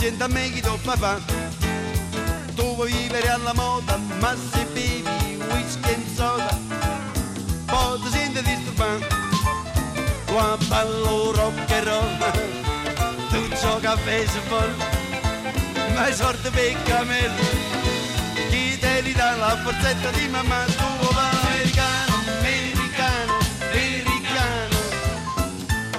Speaker 4: Senta a me chi tu fa. Tu vuoi vivere alla moda, ma se bevi whisky e soda, poi ti senti disturbato. Tu ballo rock and roll, tu gioca a baseball, ma i sordi per cammello, chi te li dà la borsetta di mamma. Tu va l'americano, americano, americano,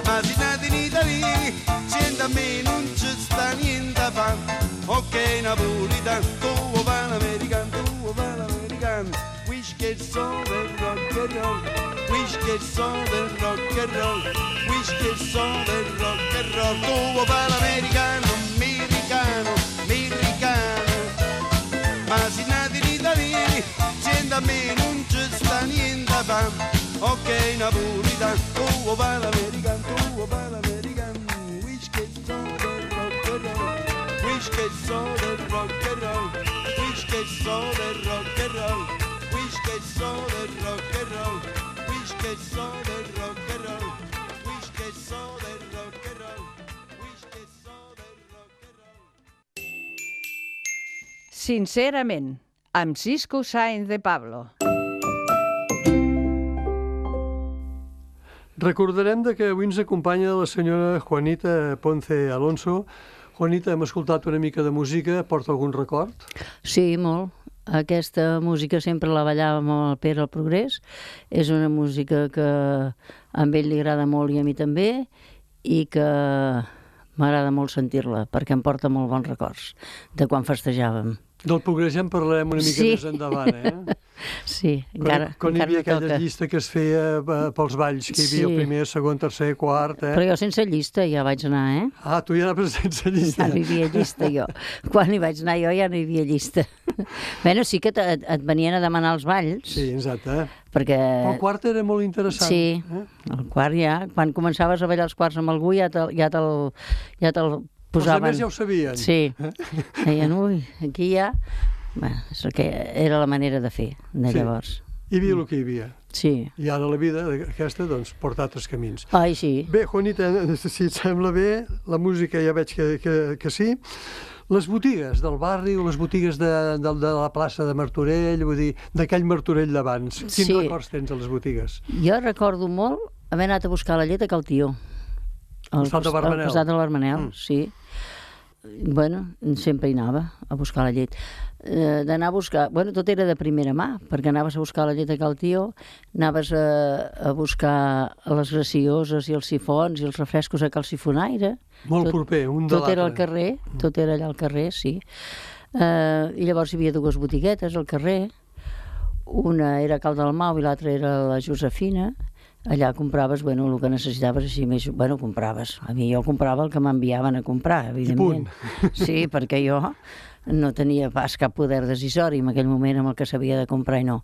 Speaker 4: ma se nati in Italia, senta a me non ci sta niente a fare. Ok, napolitano, tu va l'americano, tu va l'americano, whisky e soda e rock and roll, whisky e soda e rock and roll, whisky e soda e rock and roll. Tu va l'americano, americano, americano, ma se nati in Italia, senta a me non ci sta niente a fare. Ok, napolitano, tu va l'americano, tu va l'americano, whisky e soda e rock and roll, whisky e soda e rock and roll, whisky e soda e rock and roll, whisky e soda e rock and roll, whisky e soda e rock and roll, whisky e soda e rock and roll, whisky e soda e rock and roll.
Speaker 1: Sincerament, amb Cisco Sáenz de Pablo.
Speaker 2: Recordarem que avui ens acompanya la senyora Juanita Ponce Alonso. Juanita, hem escoltat una mica de música, porta algun record?
Speaker 3: Sí, molt. Aquesta música sempre la ballàvem amb el Pere al Progrés. És una música que a ell li agrada molt i a mi també, i que m'agrada molt sentir-la, perquè em porta molt bons records de quan festejàvem.
Speaker 2: Del Progrés ja en parlarem una mica més endavant, eh?
Speaker 3: Sí, encara
Speaker 2: Quan hi havia aquella
Speaker 3: toca.
Speaker 2: llista que es feia pels balls, que hi havia el primer, segon, tercer, quart, eh?
Speaker 3: Però jo sense llista ja vaig anar, eh?
Speaker 2: Ah, tu ja anaves sense llista.
Speaker 3: Ja no hi havia llista, jo. Quan hi vaig anar jo ja no hi havia llista. Bueno, sí que et venien a demanar els balls.
Speaker 2: Sí, exacte.
Speaker 3: Perquè...
Speaker 2: El quart era molt interessant.
Speaker 3: Sí, el quart ja. Quan començaves a ballar els quarts amb algú ja te'l posaven.
Speaker 2: Els altres ja ho sabien.
Speaker 3: Sí. Deien, ui, aquí ja... Bueno, és el que era la manera de fer, de llavors.
Speaker 2: Hi havia el que hi havia.
Speaker 3: Sí.
Speaker 2: I ara la vida aquesta, doncs, porta altres camins.
Speaker 3: Ai, sí.
Speaker 2: Bé, Juanita, si et sembla bé, la música ja veig que sí. Les botigues del barri o les botigues de la plaça de Martorell, vull dir, d'aquell Martorell d'abans. Quins records tens a les botigues?
Speaker 3: Jo recordo molt haver anat a buscar la llet a Cal Tió.
Speaker 2: Al costat de Barmanel.
Speaker 3: Al costat de l'Armanel, sí. Bueno, sempre hi anava a buscar la llet. D'anar a buscar... Bueno, tot era de primera mà, perquè anaves a buscar la llet a Cal Tió, anaves a buscar les gracioses i els sifons i els refrescos a Cal Sifonaire.
Speaker 2: Molt proper, un de l'altre.
Speaker 3: Tot era al carrer, tot era allà al carrer, sí. I llavors hi havia dues botiguetes al carrer. una era Cal Dalmau i l'altra era la Josefina. Allà compraves, bueno, el que necessitaves així més... Bueno, compraves. A mi jo comprava el que m'enviaven a comprar, evidentment. Sí, perquè jo no tenia pas cap poder decisori en aquell moment amb el que s'havia de comprar i no.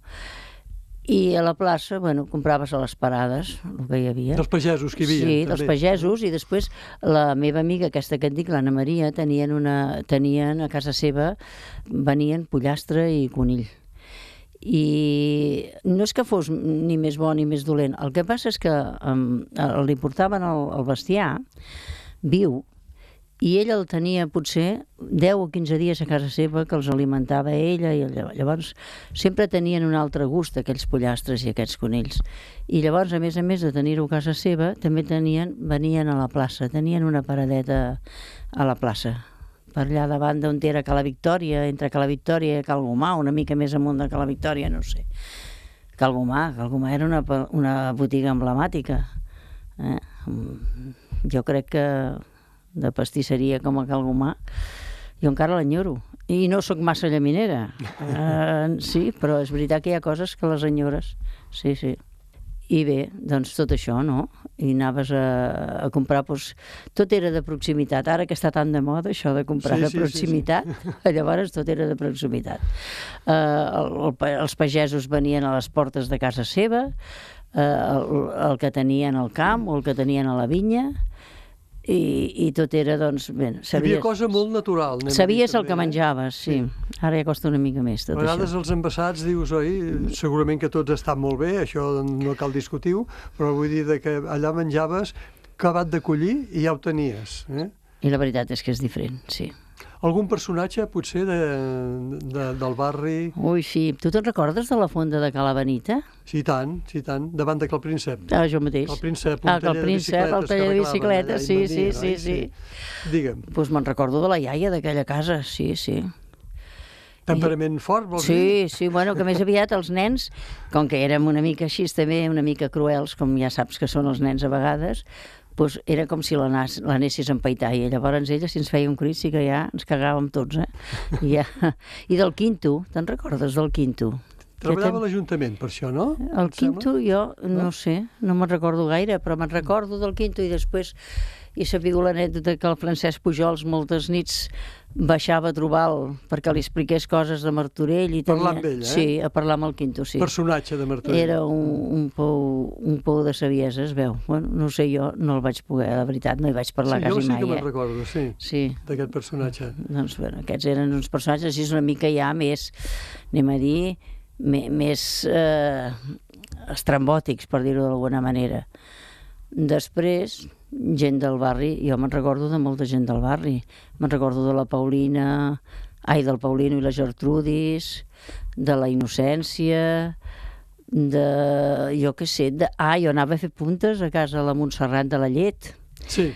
Speaker 3: I a la plaça, bueno, compraves a les parades, el que hi havia.
Speaker 2: Dels pagesos que hi havia.
Speaker 3: Sí,
Speaker 2: també.
Speaker 3: dels pagesos, i després la meva amiga, aquesta que et dic, l'Anna Maria, tenien a casa seva, venien pollastre i conill. I no és que fos ni més bo ni més dolent, el que passa és que li portaven el bestiar viu i ella el tenia potser 10 o 15 dies a casa seva, que els alimentava ella, i llavors sempre tenien un altre gust aquells pollastres i aquests conills. I llavors, a més de tenir-ho a casa seva, també venien a la plaça, tenien una paradeta a la plaça, per allà davant d'on era Cala Victòria, entre Cala Victòria i Cal Gomà, una mica més amunt de Cala Victòria, no sé. Cal Gomà era una botiga emblemàtica. Jo crec que de pastisseria com a Cal Gomà, jo encara l'enyoro. I no sóc massa llaminera. Sí, però és veritat que hi ha coses que les enyores. Sí, sí. I bé, doncs tot això, no? I anaves a comprar, doncs, tot era de proximitat. Ara que està tan de moda això de comprar de proximitat, llavors tot era de proximitat. Els pagesos venien a les portes de casa seva, el que tenien al camp o el que tenien a la vinya, i tot era, doncs, bé,
Speaker 2: hi havia cosa molt natural.
Speaker 3: Sabies el que menjaves, sí. Ara ja costa una mica més tot això.
Speaker 2: A vegades els envasats dius, oi, segurament que tots estan molt bé, això no cal discutir-ho, però vull dir que allà menjaves acabat de collir i ja ho tenies.
Speaker 3: I la veritat és que és diferent, sí.
Speaker 2: Algun personatge, potser, del barri?
Speaker 3: Ui, sí. Tu te'n recordes de la fonda de Cala Benita?
Speaker 2: Sí, tant, davant de Cal Príncep.
Speaker 3: Jo mateix.
Speaker 2: Cal Príncep,
Speaker 3: el taller de bicicletes, sí.
Speaker 2: Digue'm.
Speaker 3: Doncs me'n recordo de la iaia d'aquella casa, sí.
Speaker 2: Temperament fort, vols dir?
Speaker 3: Sí, bueno, que més aviat els nens, com que érem una mica així també, una mica cruels, com ja saps que són els nens a vegades, doncs era com si l'anessis a empaitar, i llavors ella, si ens feia un crit, sí que ja ens cagàvem tots, I del Quinto, te'n recordes del Quinto?
Speaker 2: Treballava a l'Ajuntament per això, no?
Speaker 3: El Quinto jo no sé, no me'n recordo gaire, però me'n recordo del Quinto, i després he sabut l'anècdota que el Francesc Pujols moltes nits baixava a trobar-lo perquè li expliqués coses de Martorell.
Speaker 2: Parlar amb ell,
Speaker 3: Sí, a parlar amb el Quinto, sí.
Speaker 2: Personatge de Martorell.
Speaker 3: Era un pou de saviesa, es veu. Bueno, no sé, jo no el vaig poder, la veritat, no hi vaig parlar quasi mai.
Speaker 2: Jo sí que me'n recordo, sí, d'aquest personatge.
Speaker 3: Doncs, bueno, aquests eren uns personatges així una mica ja més, anem a dir, més estrambòtics, per dir-ho d'alguna manera. Després, gent del barri, jo me'n recordo de molta gent del barri. Me'n recordo de la Paulina, del Paulino i la Gertrudis, de la Innocència, jo què sé, jo anava a fer puntes a casa de la Montserrat de la Llet.
Speaker 2: Sí.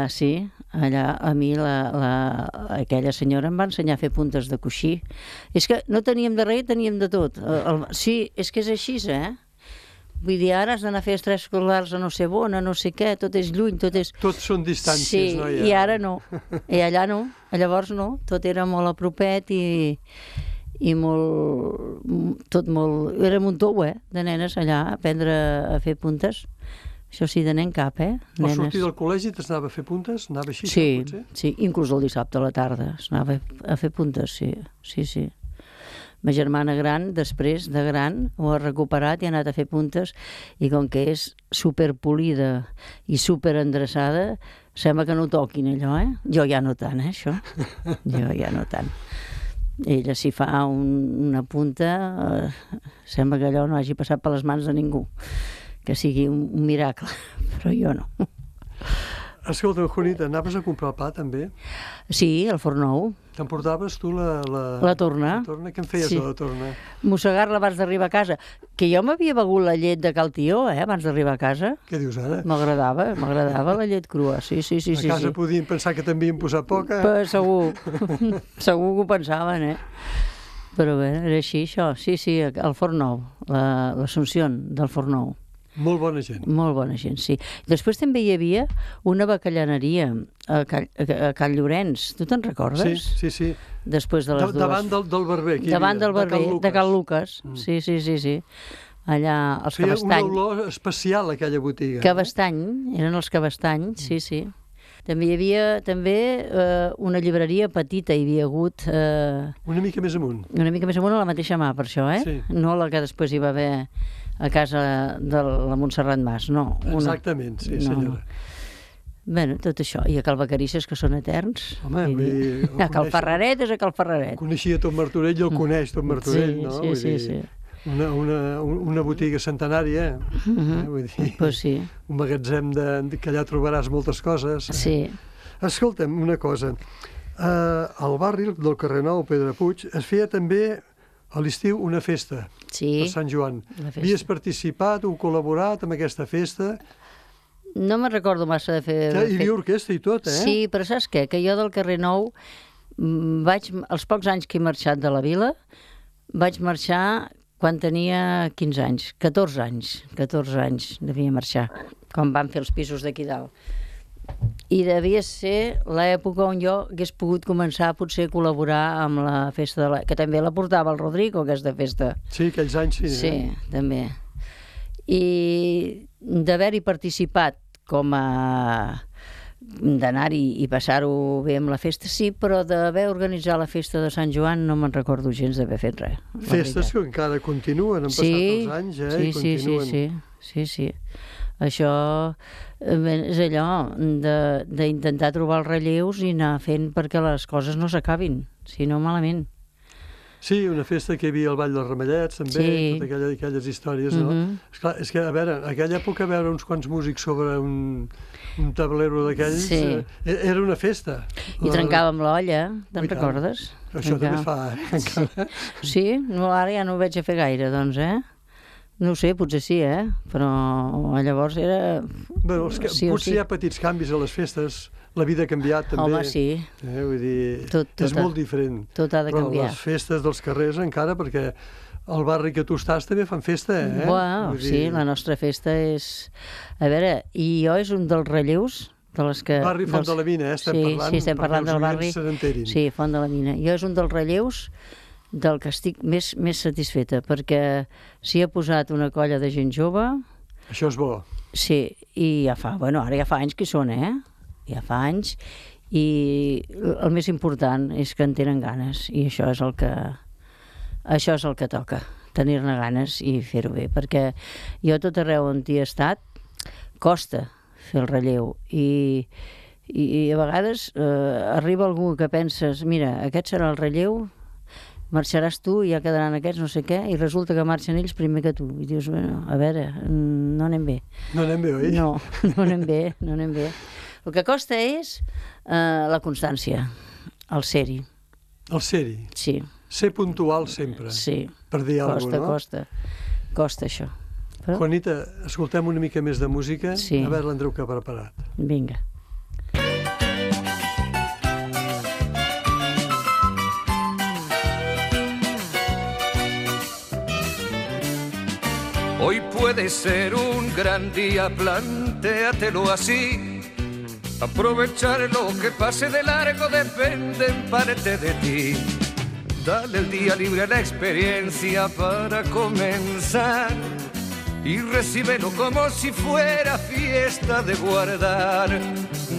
Speaker 3: Sí, allà a mi aquella senyora em va ensenyar a fer puntes de coixí. És que no teníem de res, teníem de tot. Sí, és que és així, Vull dir, ara has d'anar a fer extraescolars a no sé on, a no sé què, tot és lluny, tot és...
Speaker 2: Tots són distàncies, no?
Speaker 3: Sí, i ara no. I allà no. Llavors no. Tot era molt a propet i molt... Tot molt... Era un tou, de nenes allà, a aprendre a fer puntes. Això sí, de nen cap,
Speaker 2: Al sortir del col·legi t'anava a fer puntes? Anava així, potser?
Speaker 3: Sí, inclús el dissabte a la tarda s'anava a fer puntes, sí. Ma germana gran, després de gran, ho ha recuperat i ha anat a fer puntes, i com que és superpolida i superendreçada, sembla que no ho toquin allò, Jo ja no tant, això. Jo ja no tant. Ella si fa una punta, sembla que allò no hagi passat per les mans de ningú, que sigui un miracle, però jo no.
Speaker 2: Escolta, Juanita, anaves a comprar el pa, també?
Speaker 3: Sí, al forn nou.
Speaker 2: T'emportaves tu la
Speaker 3: torna?
Speaker 2: Què en feies de la torna?
Speaker 3: Mossegar-la abans d'arribar a casa. Que jo m'havia begut la llet de cal Tió, abans d'arribar a casa.
Speaker 2: Què dius ara?
Speaker 3: M'agradava la llet crua, sí.
Speaker 2: A casa podien pensar que t'havien posat poca?
Speaker 3: Segur. Segur que ho pensaven, Però bé, era així, això. Sí, al forn nou, l'Assumpció del forn nou.
Speaker 2: Molt bona gent.
Speaker 3: Molt bona gent, sí. Després també hi havia una bacallaneria a Can Llorenç. Tu te'n recordes?
Speaker 2: Sí.
Speaker 3: Després de les dues.
Speaker 2: Davant del barber.
Speaker 3: Davant del barber, de Can Lucas. Sí. Allà, els Cabestany.
Speaker 2: Feia una olor especial, aquella botiga.
Speaker 3: Cabestany, eren els Cabestany, sí. També hi havia una llibreria petita, hi havia hagut...
Speaker 2: Una mica més amunt.
Speaker 3: Una mica més amunt a la mateixa mà, per això,
Speaker 2: Sí.
Speaker 3: No la que després hi va haver a casa de la Montserrat Mas, no.
Speaker 2: Exactament, sí, senyora.
Speaker 3: Bueno, tot això. I a Cal Vacarisses, que són eterns.
Speaker 2: Home,
Speaker 3: a Cal Ferraret és a Cal Ferraret.
Speaker 2: Coneixia tot Martorell i el coneix tot Martorell, no?
Speaker 3: Sí.
Speaker 2: Una botiga centenària, vull dir,
Speaker 3: pues sí.
Speaker 2: Un magatzem que allà trobaràs moltes coses.
Speaker 3: Sí.
Speaker 2: Escolta'm, una cosa, al barri del carrer Nou, Pedrapuig, es feia també a l'estiu una festa per Sant Joan. Havies participat o col·laborat amb aquesta festa?
Speaker 3: No me'n recordo massa de fer...
Speaker 2: Hi havia orquestra i tot,
Speaker 3: Sí, però saps què? Que jo del carrer Nou els pocs anys que he marxat de la vila, vaig marxar quan tenia 15 anys, 14 anys devia marxar, quan van fer els pisos d'aquí dalt. I devia ser l'època on jo hagués pogut començar potser a col·laborar amb la festa que també la portava el Rodrigo, aquesta festa.
Speaker 2: Sí, aquells anys sí.
Speaker 3: Sí, també. I d'haver-hi participat com a... d'anar-hi i passar-ho bé amb la festa, sí, però d'haver organitzat la festa de Sant Joan no me'n recordo gens d'haver fet res.
Speaker 2: Festes que encara continuen, han passat els anys, i continuen.
Speaker 3: Sí. Això és allò d'intentar trobar els relleus i anar fent perquè les coses no s'acabin, si no malament.
Speaker 2: Sí, una festa que hi havia al Vall dels Ramallets, també, totes aquelles històries, no? Esclar, és que, a veure, en aquella època veure uns quants músics sobre un tablero d'aquells era una festa.
Speaker 3: I trencàvem l'olla, te'n recordes?
Speaker 2: Això també fa, encara.
Speaker 3: Sí? Ara ja no ho veig a fer gaire, doncs, No ho sé, potser sí, però llavors era...
Speaker 2: Bueno, potser hi ha petits canvis a les festes, la vida ha canviat també.
Speaker 3: Home, sí.
Speaker 2: Vull dir, és molt diferent.
Speaker 3: Tot ha de canviar.
Speaker 2: Però les festes dels carrers encara, perquè al barri que tu estàs també fan festa,
Speaker 3: Uau, sí, la nostra festa és... A veure, i jo és un dels relleus de les que...
Speaker 2: Barri Font de la Mina,
Speaker 3: estem parlant del barri. Sí, Font de la Mina. Jo és un dels relleus del que estic més satisfeta, perquè s'hi ha posat una colla de gent jove.
Speaker 2: Això és bo.
Speaker 3: Sí, i ara ja fa anys que hi són, Ja fa anys, i el més important és que en tenen ganes, i això és el que toca, tenir-ne ganes i fer-ho bé, perquè jo tot arreu on hi he estat costa fer el relleu, i a vegades arriba algú que penses, mira, aquest serà el relleu, marxaràs tu i ja quedaran aquests no sé què, i resulta que marxen ells primer que tu. I dius, bueno, a veure, no anem bé.
Speaker 2: No anem bé, oi?
Speaker 3: No anem bé. El que costa és la constància, el ser-hi.
Speaker 2: El ser-hi?
Speaker 3: Sí.
Speaker 2: Ser puntual sempre.
Speaker 3: Sí.
Speaker 2: Per dir alguna cosa, no?
Speaker 3: Costa això.
Speaker 2: Però... Juanita, escoltem una mica més de música.
Speaker 3: Sí.
Speaker 2: A veure l'Andreu que ha preparat.
Speaker 3: Vinga.
Speaker 5: Hoy puede ser un gran día, plantéatelo así. Aprovechar lo que pase de largo depende en parte de ti. Dale el día libre a la experiencia para comenzar y recíbelo como si fuera fiesta de guardar.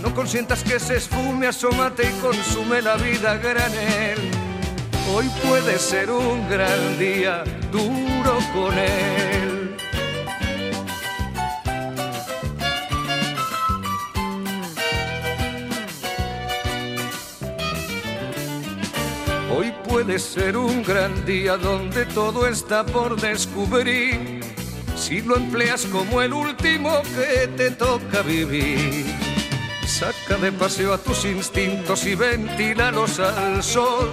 Speaker 5: No consientas que se esfume, asómate y consume la vida a granel. Hoy puede ser un gran día, duro con él. Hoy puede ser un gran día donde todo está por descubrir, si lo empleas como el último que te toca vivir. Saca de paseo a tus instintos y ventílalos al sol,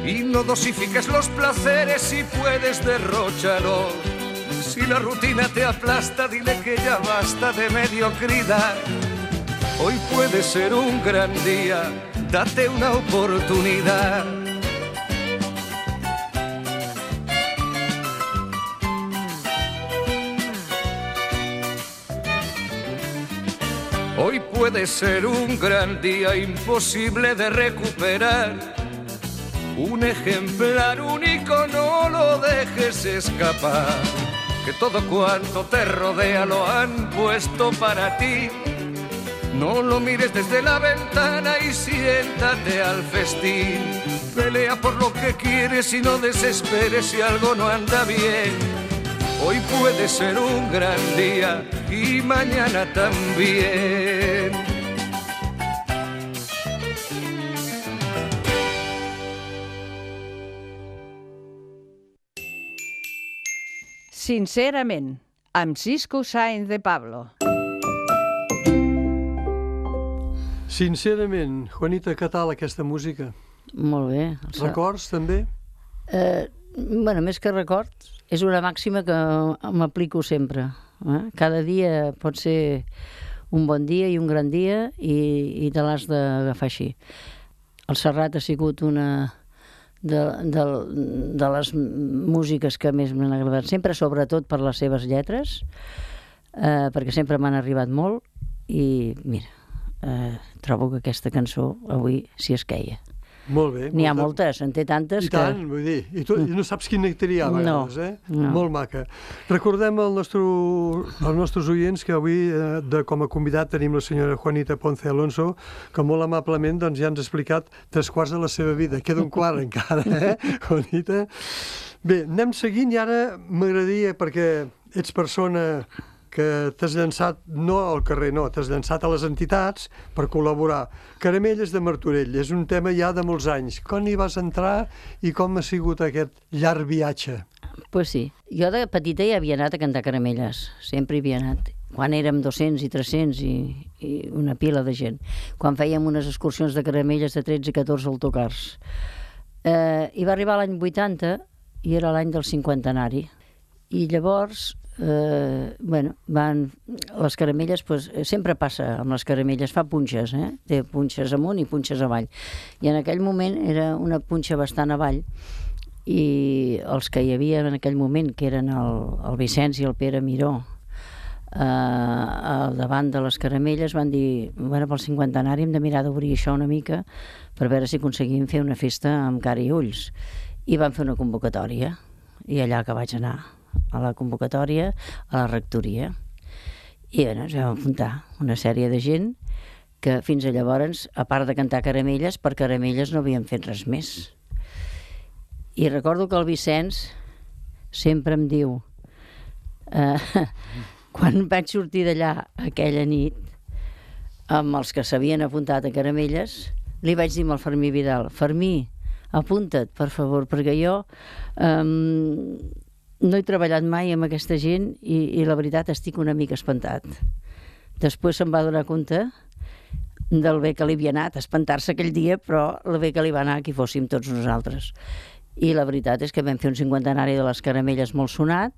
Speaker 5: y no dosifiques los placeres si puedes derróchalos. Si la rutina te aplasta, dile que ya basta de mediocridad. Hoy puede ser un gran día, date una oportunidad. Hoy puede ser un gran día imposible de recuperar. Un ejemplar único, no lo dejes escapar. Que todo cuanto te rodea lo han puesto para ti. No lo mires desde la ventana y siéntate al festín. Pelea por lo que quieres y no desesperes si algo no anda bien. Hoy puede ser un gran día y mañana también.
Speaker 1: Sincerament, amb Cisco Sáenz de Pablo.
Speaker 2: Sincerament, Juanita, què tal aquesta música?
Speaker 3: Molt bé.
Speaker 2: Records, també?
Speaker 3: Bueno, més que records, és una màxima que m'aplico sempre. Cada dia pot ser un bon dia i un gran dia i te l'has d'agafar així. El Serrat ha sigut una de les músiques que més m'han agradat sempre, sobretot per les seves lletres, perquè sempre m'han arribat molt i mira, trobo que aquesta cançó avui s'hi esqueia.
Speaker 2: Molt bé.
Speaker 3: N'hi ha moltes, en té tantes que...
Speaker 2: I tant, vull dir, i tu no saps quina triar a vegades,
Speaker 3: No.
Speaker 2: Molt maca. Recordem als nostres oients que avui, com a convidat, tenim la senyora Juanita Ponce Alonso, que molt amablement ja ens ha explicat 3/4 de la seva vida. Queda un quart encara, Juanita? Bé, anem seguint i ara m'agradaria, perquè ets persona que t'has llançat, no al carrer, no, t'has llançat a les entitats per col·laborar. Caramelles de Martorell, és un tema ja de molts anys. Com hi vas entrar i com ha sigut aquest llarg viatge?
Speaker 3: Pues sí. Jo de petita ja havia anat a cantar caramelles, sempre hi havia anat. Quan érem 200 i 300 i una pila de gent. Quan fèiem unes excursions de caramelles de 13 i 14 autocars. I va arribar l'any 80 i era l'any del cinquantenari. I llavors... les caramelles, sempre passa amb les caramelles, fa punxes, té punxes amunt i punxes avall, i en aquell moment era una punxa bastant avall i els que hi havia en aquell moment, que eren el Vicenç i el Pere Miró, al davant de les caramelles, van dir, pel cinquantenari hem de mirar d'obrir això una mica per veure si aconseguim fer una festa amb cara i ulls, i van fer una convocatòria i allà que vaig anar a la convocatòria, a la rectoria. I ens vam apuntar una sèrie de gent que fins a llavors, a part de cantar caramelles, per caramelles no havien fet res més. I recordo que el Vicenç sempre em diu, quan vaig sortir d'allà aquella nit, amb els que s'havien apuntat a caramelles, li vaig dir al Fermí Vidal, Fermí, apunta't, per favor, perquè jo no he treballat mai amb aquesta gent i la veritat estic una mica espantat. Després se'm va donar compte del bé que li havia anat, espantar-se aquell dia, però el bé que li va anar que hi fóssim tots nosaltres. I la veritat és que vam fer un cinquantenari de les caramelles molt sonat,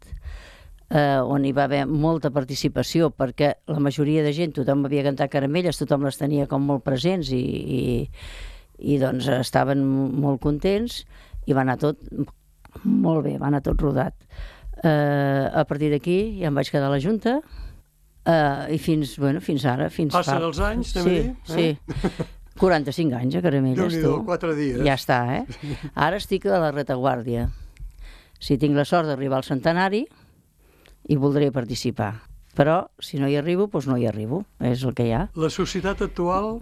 Speaker 3: on hi va haver molta participació, perquè la majoria de gent, tothom havia cantat caramelles, tothom les tenia com molt presents i doncs estaven molt contents i va anar tot molt bé, va anar tot rodat. A partir d'aquí ja em vaig quedar a la Junta i fins ara.
Speaker 2: Passen els anys, anem a dir?
Speaker 3: Sí. 45 anys a Caramelles, tu.
Speaker 2: 4 dies.
Speaker 3: Ja està, Ara estic a la retaguardia. Si tinc la sort d'arribar al centenari, hi voldré participar. Però, si no hi arribo, doncs no hi arribo. És el que hi ha.
Speaker 2: La societat actual,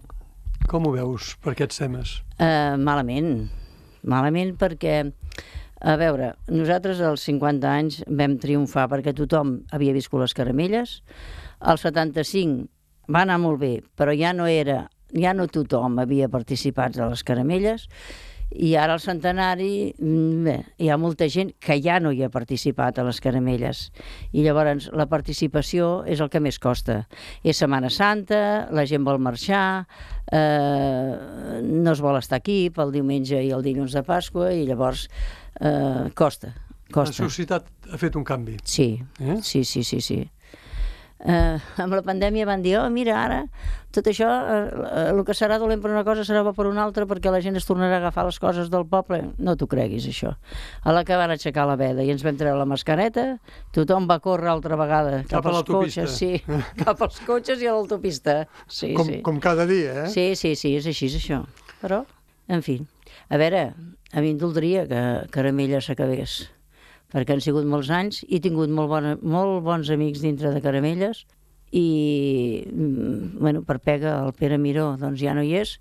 Speaker 2: com ho veus per aquests temes?
Speaker 3: Malament. Malament perquè... A veure, nosaltres als 50 anys vam triomfar perquè tothom havia viscut les caramelles. Al 75 va anar molt bé, però ja no tothom havia participat de les caramelles. I ara al centenari hi ha molta gent que ja no hi ha participat a les caramelles. I llavors la participació és el que més costa. És Setmana Santa, la gent vol marxar, no es vol estar aquí pel diumenge i el dilluns de Pasqua, i llavors costa.
Speaker 2: La societat ha fet un canvi.
Speaker 3: Sí, sí. amb la pandèmia van dir, mira, ara tot això, el que serà dolent per una cosa serà bo per una altra, perquè la gent es tornarà a agafar les coses del poble. No t'ho creguis, això. A la que van aixecar la veda i ens vam treure la mascareta, tothom va córrer altra vegada
Speaker 2: cap a l'autopista.
Speaker 3: Sí, cap als cotxes i a l'autopista. Sí,
Speaker 2: com cada dia,
Speaker 3: Sí, és així, és això. Però, en fi, a veure, a mi em doldria que Caramelles s'acabés, perquè han sigut molts anys i he tingut molt bons amics dintre de Caramelles i, bueno, per pega, el Pere Miró, doncs ja no hi és.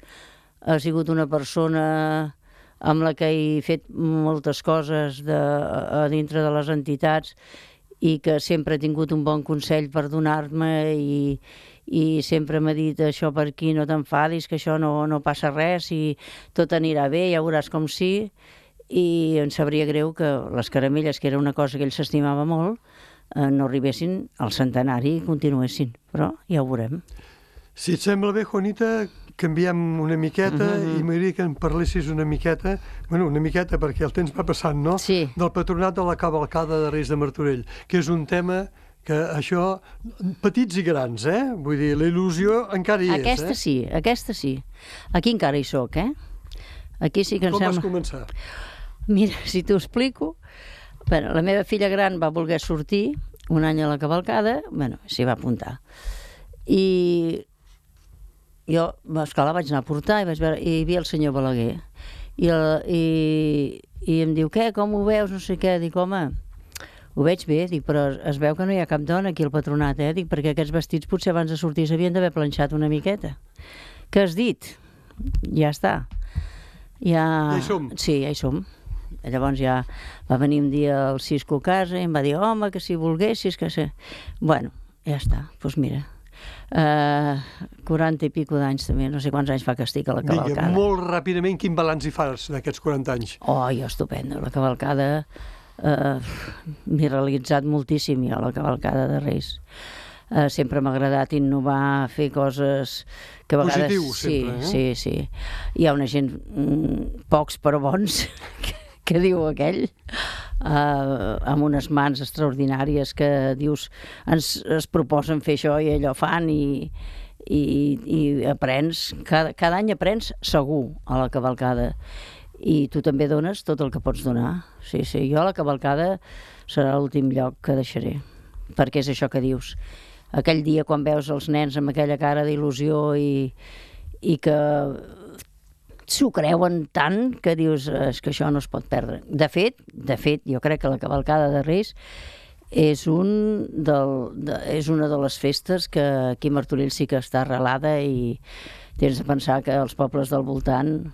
Speaker 3: Ha sigut una persona amb la que he fet moltes coses a dintre de les entitats i que sempre ha tingut un bon consell per donar-me i sempre m'ha dit, això per aquí no t'enfadis, que això no passa res i tot anirà bé, ja veuràs com sí. I em sabria greu que les Caramelles, que era una cosa que ell s'estimava molt, no arribessin al centenari i continuessin, però ja ho veurem.
Speaker 2: Si et sembla bé, Juanita, canviem una miqueta i m'agradaria que en parlessis una miqueta, perquè el temps va passant, no?
Speaker 3: Sí.
Speaker 2: Del patronat de la cavalcada de Reis de Martorell, que és un tema que això, petits i grans, Vull dir, la il·lusió encara hi és,
Speaker 3: Aquesta sí. Aquí encara hi soc, Aquí sí que em
Speaker 2: sembla...
Speaker 3: Com
Speaker 2: vas començar?
Speaker 3: Mira, si t'ho explico, bueno, la meva filla gran va voler sortir un any a la cavalcada, s'hi va apuntar. I jo, esclar, la vaig anar a portar i vaig veure, i hi havia el senyor Balaguer. I em diu, què, com ho veus, no sé què? Dic, home, ho veig bé, dic, però es veu que no hi ha cap dona aquí al patronat, Dic, perquè aquests vestits potser abans de sortir s'havien d'haver planxat una miqueta. Què has dit? Ja està. Ja
Speaker 2: hi som.
Speaker 3: Sí, ja hi som. Llavors ja va venir un dia el Cisco a casa i em va dir, home, que si volguessis, que sé... Bueno, ja està, doncs mira, 40 i pico d'anys també, no sé quants anys fa que estic a la cavalcada.
Speaker 2: Vinga, molt ràpidament, quin balanç hi fas d'aquests 40 anys?
Speaker 3: Oh, jo estupendo, la cavalcada m'he realitzat moltíssim jo a la cavalcada de Reis. Sempre m'ha agradat innovar, fer coses que a vegades...
Speaker 2: Positiu, sempre,
Speaker 3: Sí. Hi ha una gent, pocs però bons, que diu aquell, amb unes mans extraordinàries que dius, es proposen fer això i allò fan i aprens, cada any aprens segur a la cavalcada i tu també dones tot el que pots donar. Sí, jo a la cavalcada serà l'últim lloc que deixaré, perquè és això que dius. Aquell dia quan veus els nens amb aquella cara d'il·lusió i que s'ho creuen tant que dius és que això no es pot perdre. De fet, jo crec que la cavalcada de Reis és una de les festes que aquí a Martorell sí que està arrelada i tens de pensar que els pobles del voltant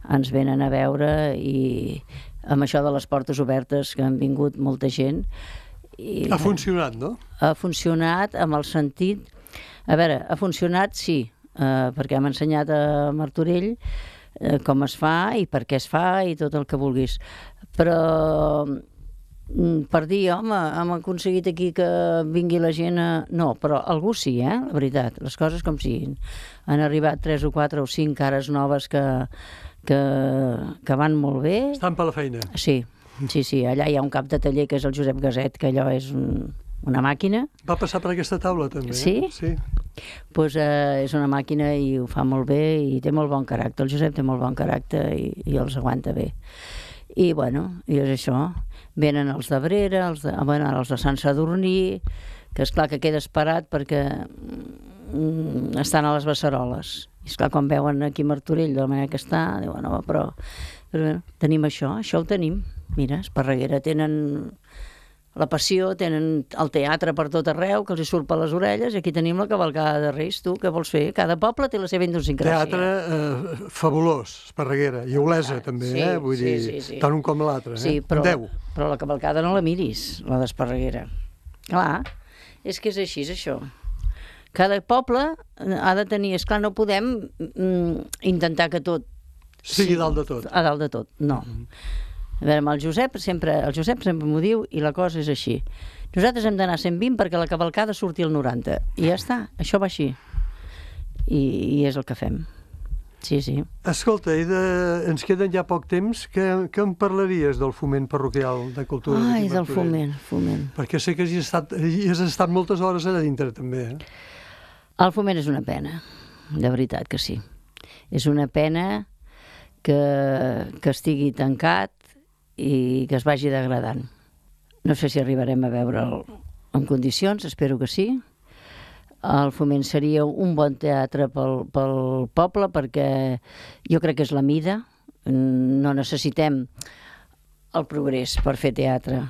Speaker 3: ens venen a veure i amb això de les portes obertes que han vingut molta gent.
Speaker 2: Ha funcionat, no?
Speaker 3: Ha funcionat amb el sentit... A veure, ha funcionat, sí, perquè hem ensenyat a Martorell com es fa i per què es fa i tot el que vulguis. Però per dir, home, hem aconseguit aquí que vingui la gent a... No, però algú sí, la veritat, les coses com siguin. Han arribat 3 o 4 o 5 cares noves que van molt bé.
Speaker 2: Estan per la feina.
Speaker 3: Sí, allà hi ha un cap de taller que és el Josep Gaset, que allò és una màquina.
Speaker 2: Va passar per aquesta taula també,
Speaker 3: Sí?
Speaker 2: Sí.
Speaker 3: Doncs és una màquina i ho fa molt bé i té molt bon caràcter. El Josep té molt bon caràcter i els aguanta bé. I bueno, i és això. Venen els d'Abrera, els de Sant Sadurní, que esclar que queda esperat perquè estan a les Beceroles. I esclar, quan veuen aquí Martorell de la manera que està, diuen, no, però bueno, tenim això ho tenim. Mira, Esparreguera tenen la passió, tenen el teatre per tot arreu, que els hi surt per les orelles, i aquí tenim la cavalcada de Reis. Tu, què vols fer? Cada poble té la seva idiosincràsia.
Speaker 2: Teatre fabulós, Esparreguera, i Olesa també, vull dir, tant un com l'altre.
Speaker 3: Sí, però la cavalcada no la miris, la d'Esparreguera. Clar, és que és així, és això. Cada poble ha de tenir... Esclar, no podem intentar que tot...
Speaker 2: Sigui dalt de tot.
Speaker 3: A dalt de tot, no. A veure, amb el Josep sempre m'ho diu i la cosa és així. Nosaltres hem d'anar a 120 perquè la cavalcada surti al 90. I ja està, això va així. I és el que fem. Sí, sí.
Speaker 2: Escolta, ens queden ja poc temps. Què em parlaries del foment parroquial de cultura?
Speaker 3: Ai, del foment.
Speaker 2: Perquè sé que hi has estat moltes hores allà dintre, també.
Speaker 3: El foment és una pena, de veritat que sí. És una pena que estigui tancat i que es vagi degradant. No sé si arribarem a veure'l en condicions, espero que sí. El foment seria un bon teatre pel poble, perquè jo crec que és la mida. No necessitem el progrés per fer teatre,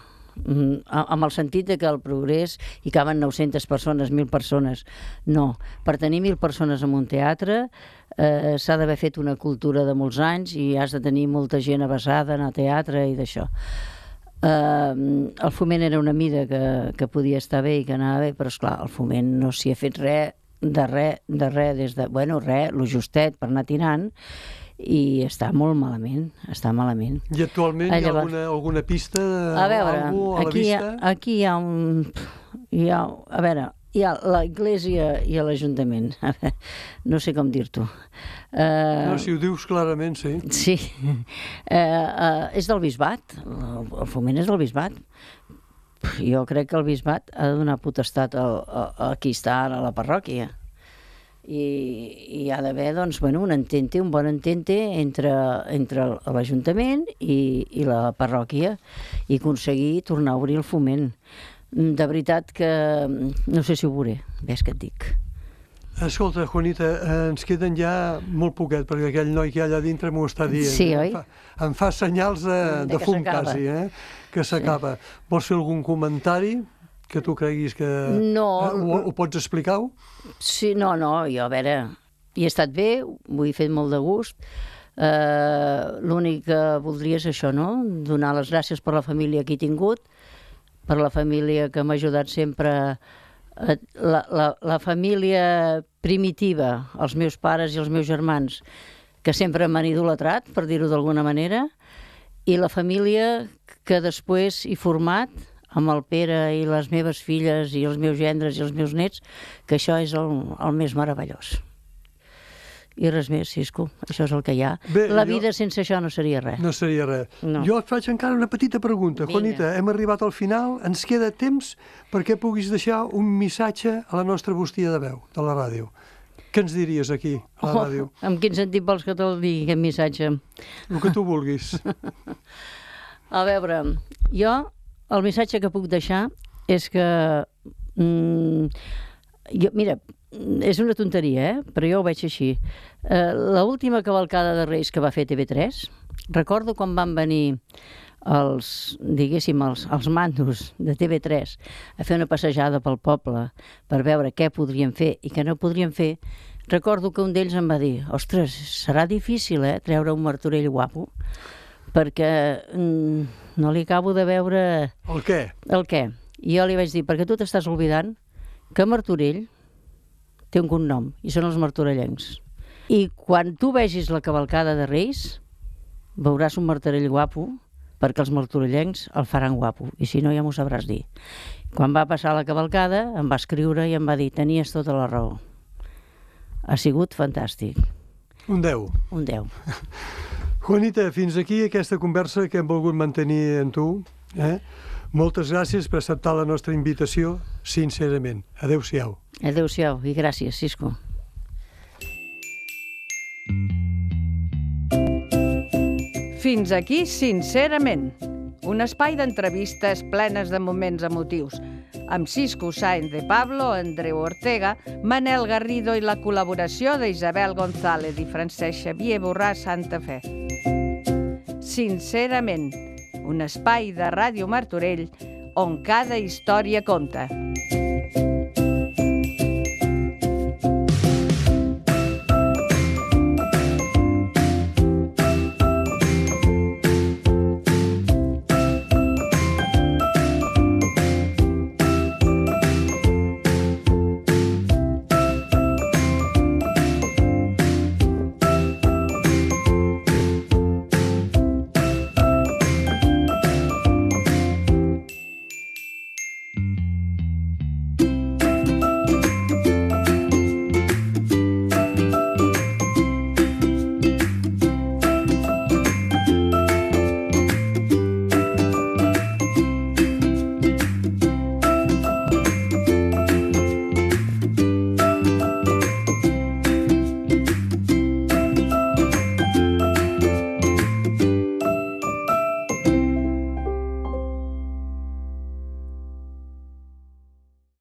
Speaker 3: amb el sentit de que el progrés hi caben 900 persones, 1.000 persones. No, per tenir 1.000 persones en un teatre s'ha d'haver fet una cultura de molts anys i has de tenir molta gent avesada en el teatre i d'això. El foment era una mida que podia estar bé i que anava bé, però esclar, el foment no s'hi ha fet res, des de, bueno, res, lo justet per anar tirant, i està molt malament, està malament.
Speaker 2: I actualment hi ha alguna pista?
Speaker 3: A veure, aquí hi ha a veure, hi ha l'església i l'Ajuntament. No sé com dir-t'ho.
Speaker 2: No, si ho dius clarament, sí.
Speaker 3: Sí. És del bisbat. El foment és del bisbat. Jo crec que el bisbat ha de donar potestat a qui està ara a la parròquia. I hi ha d'haver, doncs, bueno, un bon entente entre l'Ajuntament i la parròquia i aconseguir tornar a obrir el foment. De veritat que no sé si ho veuré, ves que et dic.
Speaker 2: Escolta, Juanita, ens queden ja molt poquet, perquè aquell noi que hi ha allà dintre m'ho està dient.
Speaker 3: Sí, oi?
Speaker 2: Em fa senyals de fum quasi, que s'acaba. Vols fer algun comentari que tu creguis que...
Speaker 3: No.
Speaker 2: Ho pots explicar-ho?
Speaker 3: Sí, no, jo, a veure, hi he estat bé, ho he fet molt de gust. L'únic que voldria és això, no? Donar les gràcies per la família que he tingut, per la família que m'ha ajudat sempre, la família primitiva, els meus pares i els meus germans, que sempre m'han idolatrat, per dir-ho d'alguna manera, i la família que després he format amb el Pere i les meves filles i els meus gendres i els meus nets, que això és el més meravellós. I res més, Cisco, això és el que hi ha. Bé, la vida sense això no seria res.
Speaker 2: No seria res. No. Jo et faig encara una petita pregunta. Vinga. Juanita, hem arribat al final, ens queda temps perquè puguis deixar un missatge a la nostra bústia de veu, de la ràdio. Què ens diries aquí, a la ràdio?
Speaker 3: En quin sentit vols que te'l digui, aquest missatge?
Speaker 2: El que tu vulguis.
Speaker 3: A veure, jo el missatge que puc deixar és que... mira, és una tonteria, però jo ho veig així. L'última cavalcada de Reis que va fer TV3, recordo quan van venir els mandos de TV3 a fer una passejada pel poble per veure què podrien fer i què no podrien fer. Recordo que un d'ells em va dir: ostres, serà difícil, treure un Martorell guapo, perquè no li acabo de veure...
Speaker 2: El què?
Speaker 3: El què. I jo li vaig dir, perquè tu t'estàs oblidant que Martorell té un cognom, i són els martorellencs. I quan tu vegis la cavalcada de Reis, veuràs un Martorell guapo, perquè els martorellencs el faran guapo, i si no ja m'ho sabràs dir. Quan va passar la cavalcada, em va escriure i em va dir: tenies tota la raó. Ha sigut fantàstic.
Speaker 2: Un 10.
Speaker 3: Un 10.
Speaker 2: Juanita, fins aquí aquesta conversa que hem volgut mantenir amb tu. Moltes gràcies per acceptar la nostra invitació, sincerament. Adéu-siau.
Speaker 3: Adéu-siau i gràcies, Cisco.
Speaker 1: Fins aquí, sincerament. Un espai d'entrevistes plenes de moments emotius, amb Cisco Sáenz de Pablo, Andreu Ortega, Manel Garrido i la col·laboració d'Isabel González i Francesc Xavier Borràs Santa Fe. Sincerament, un espai de Ràdio Martorell on cada història compta.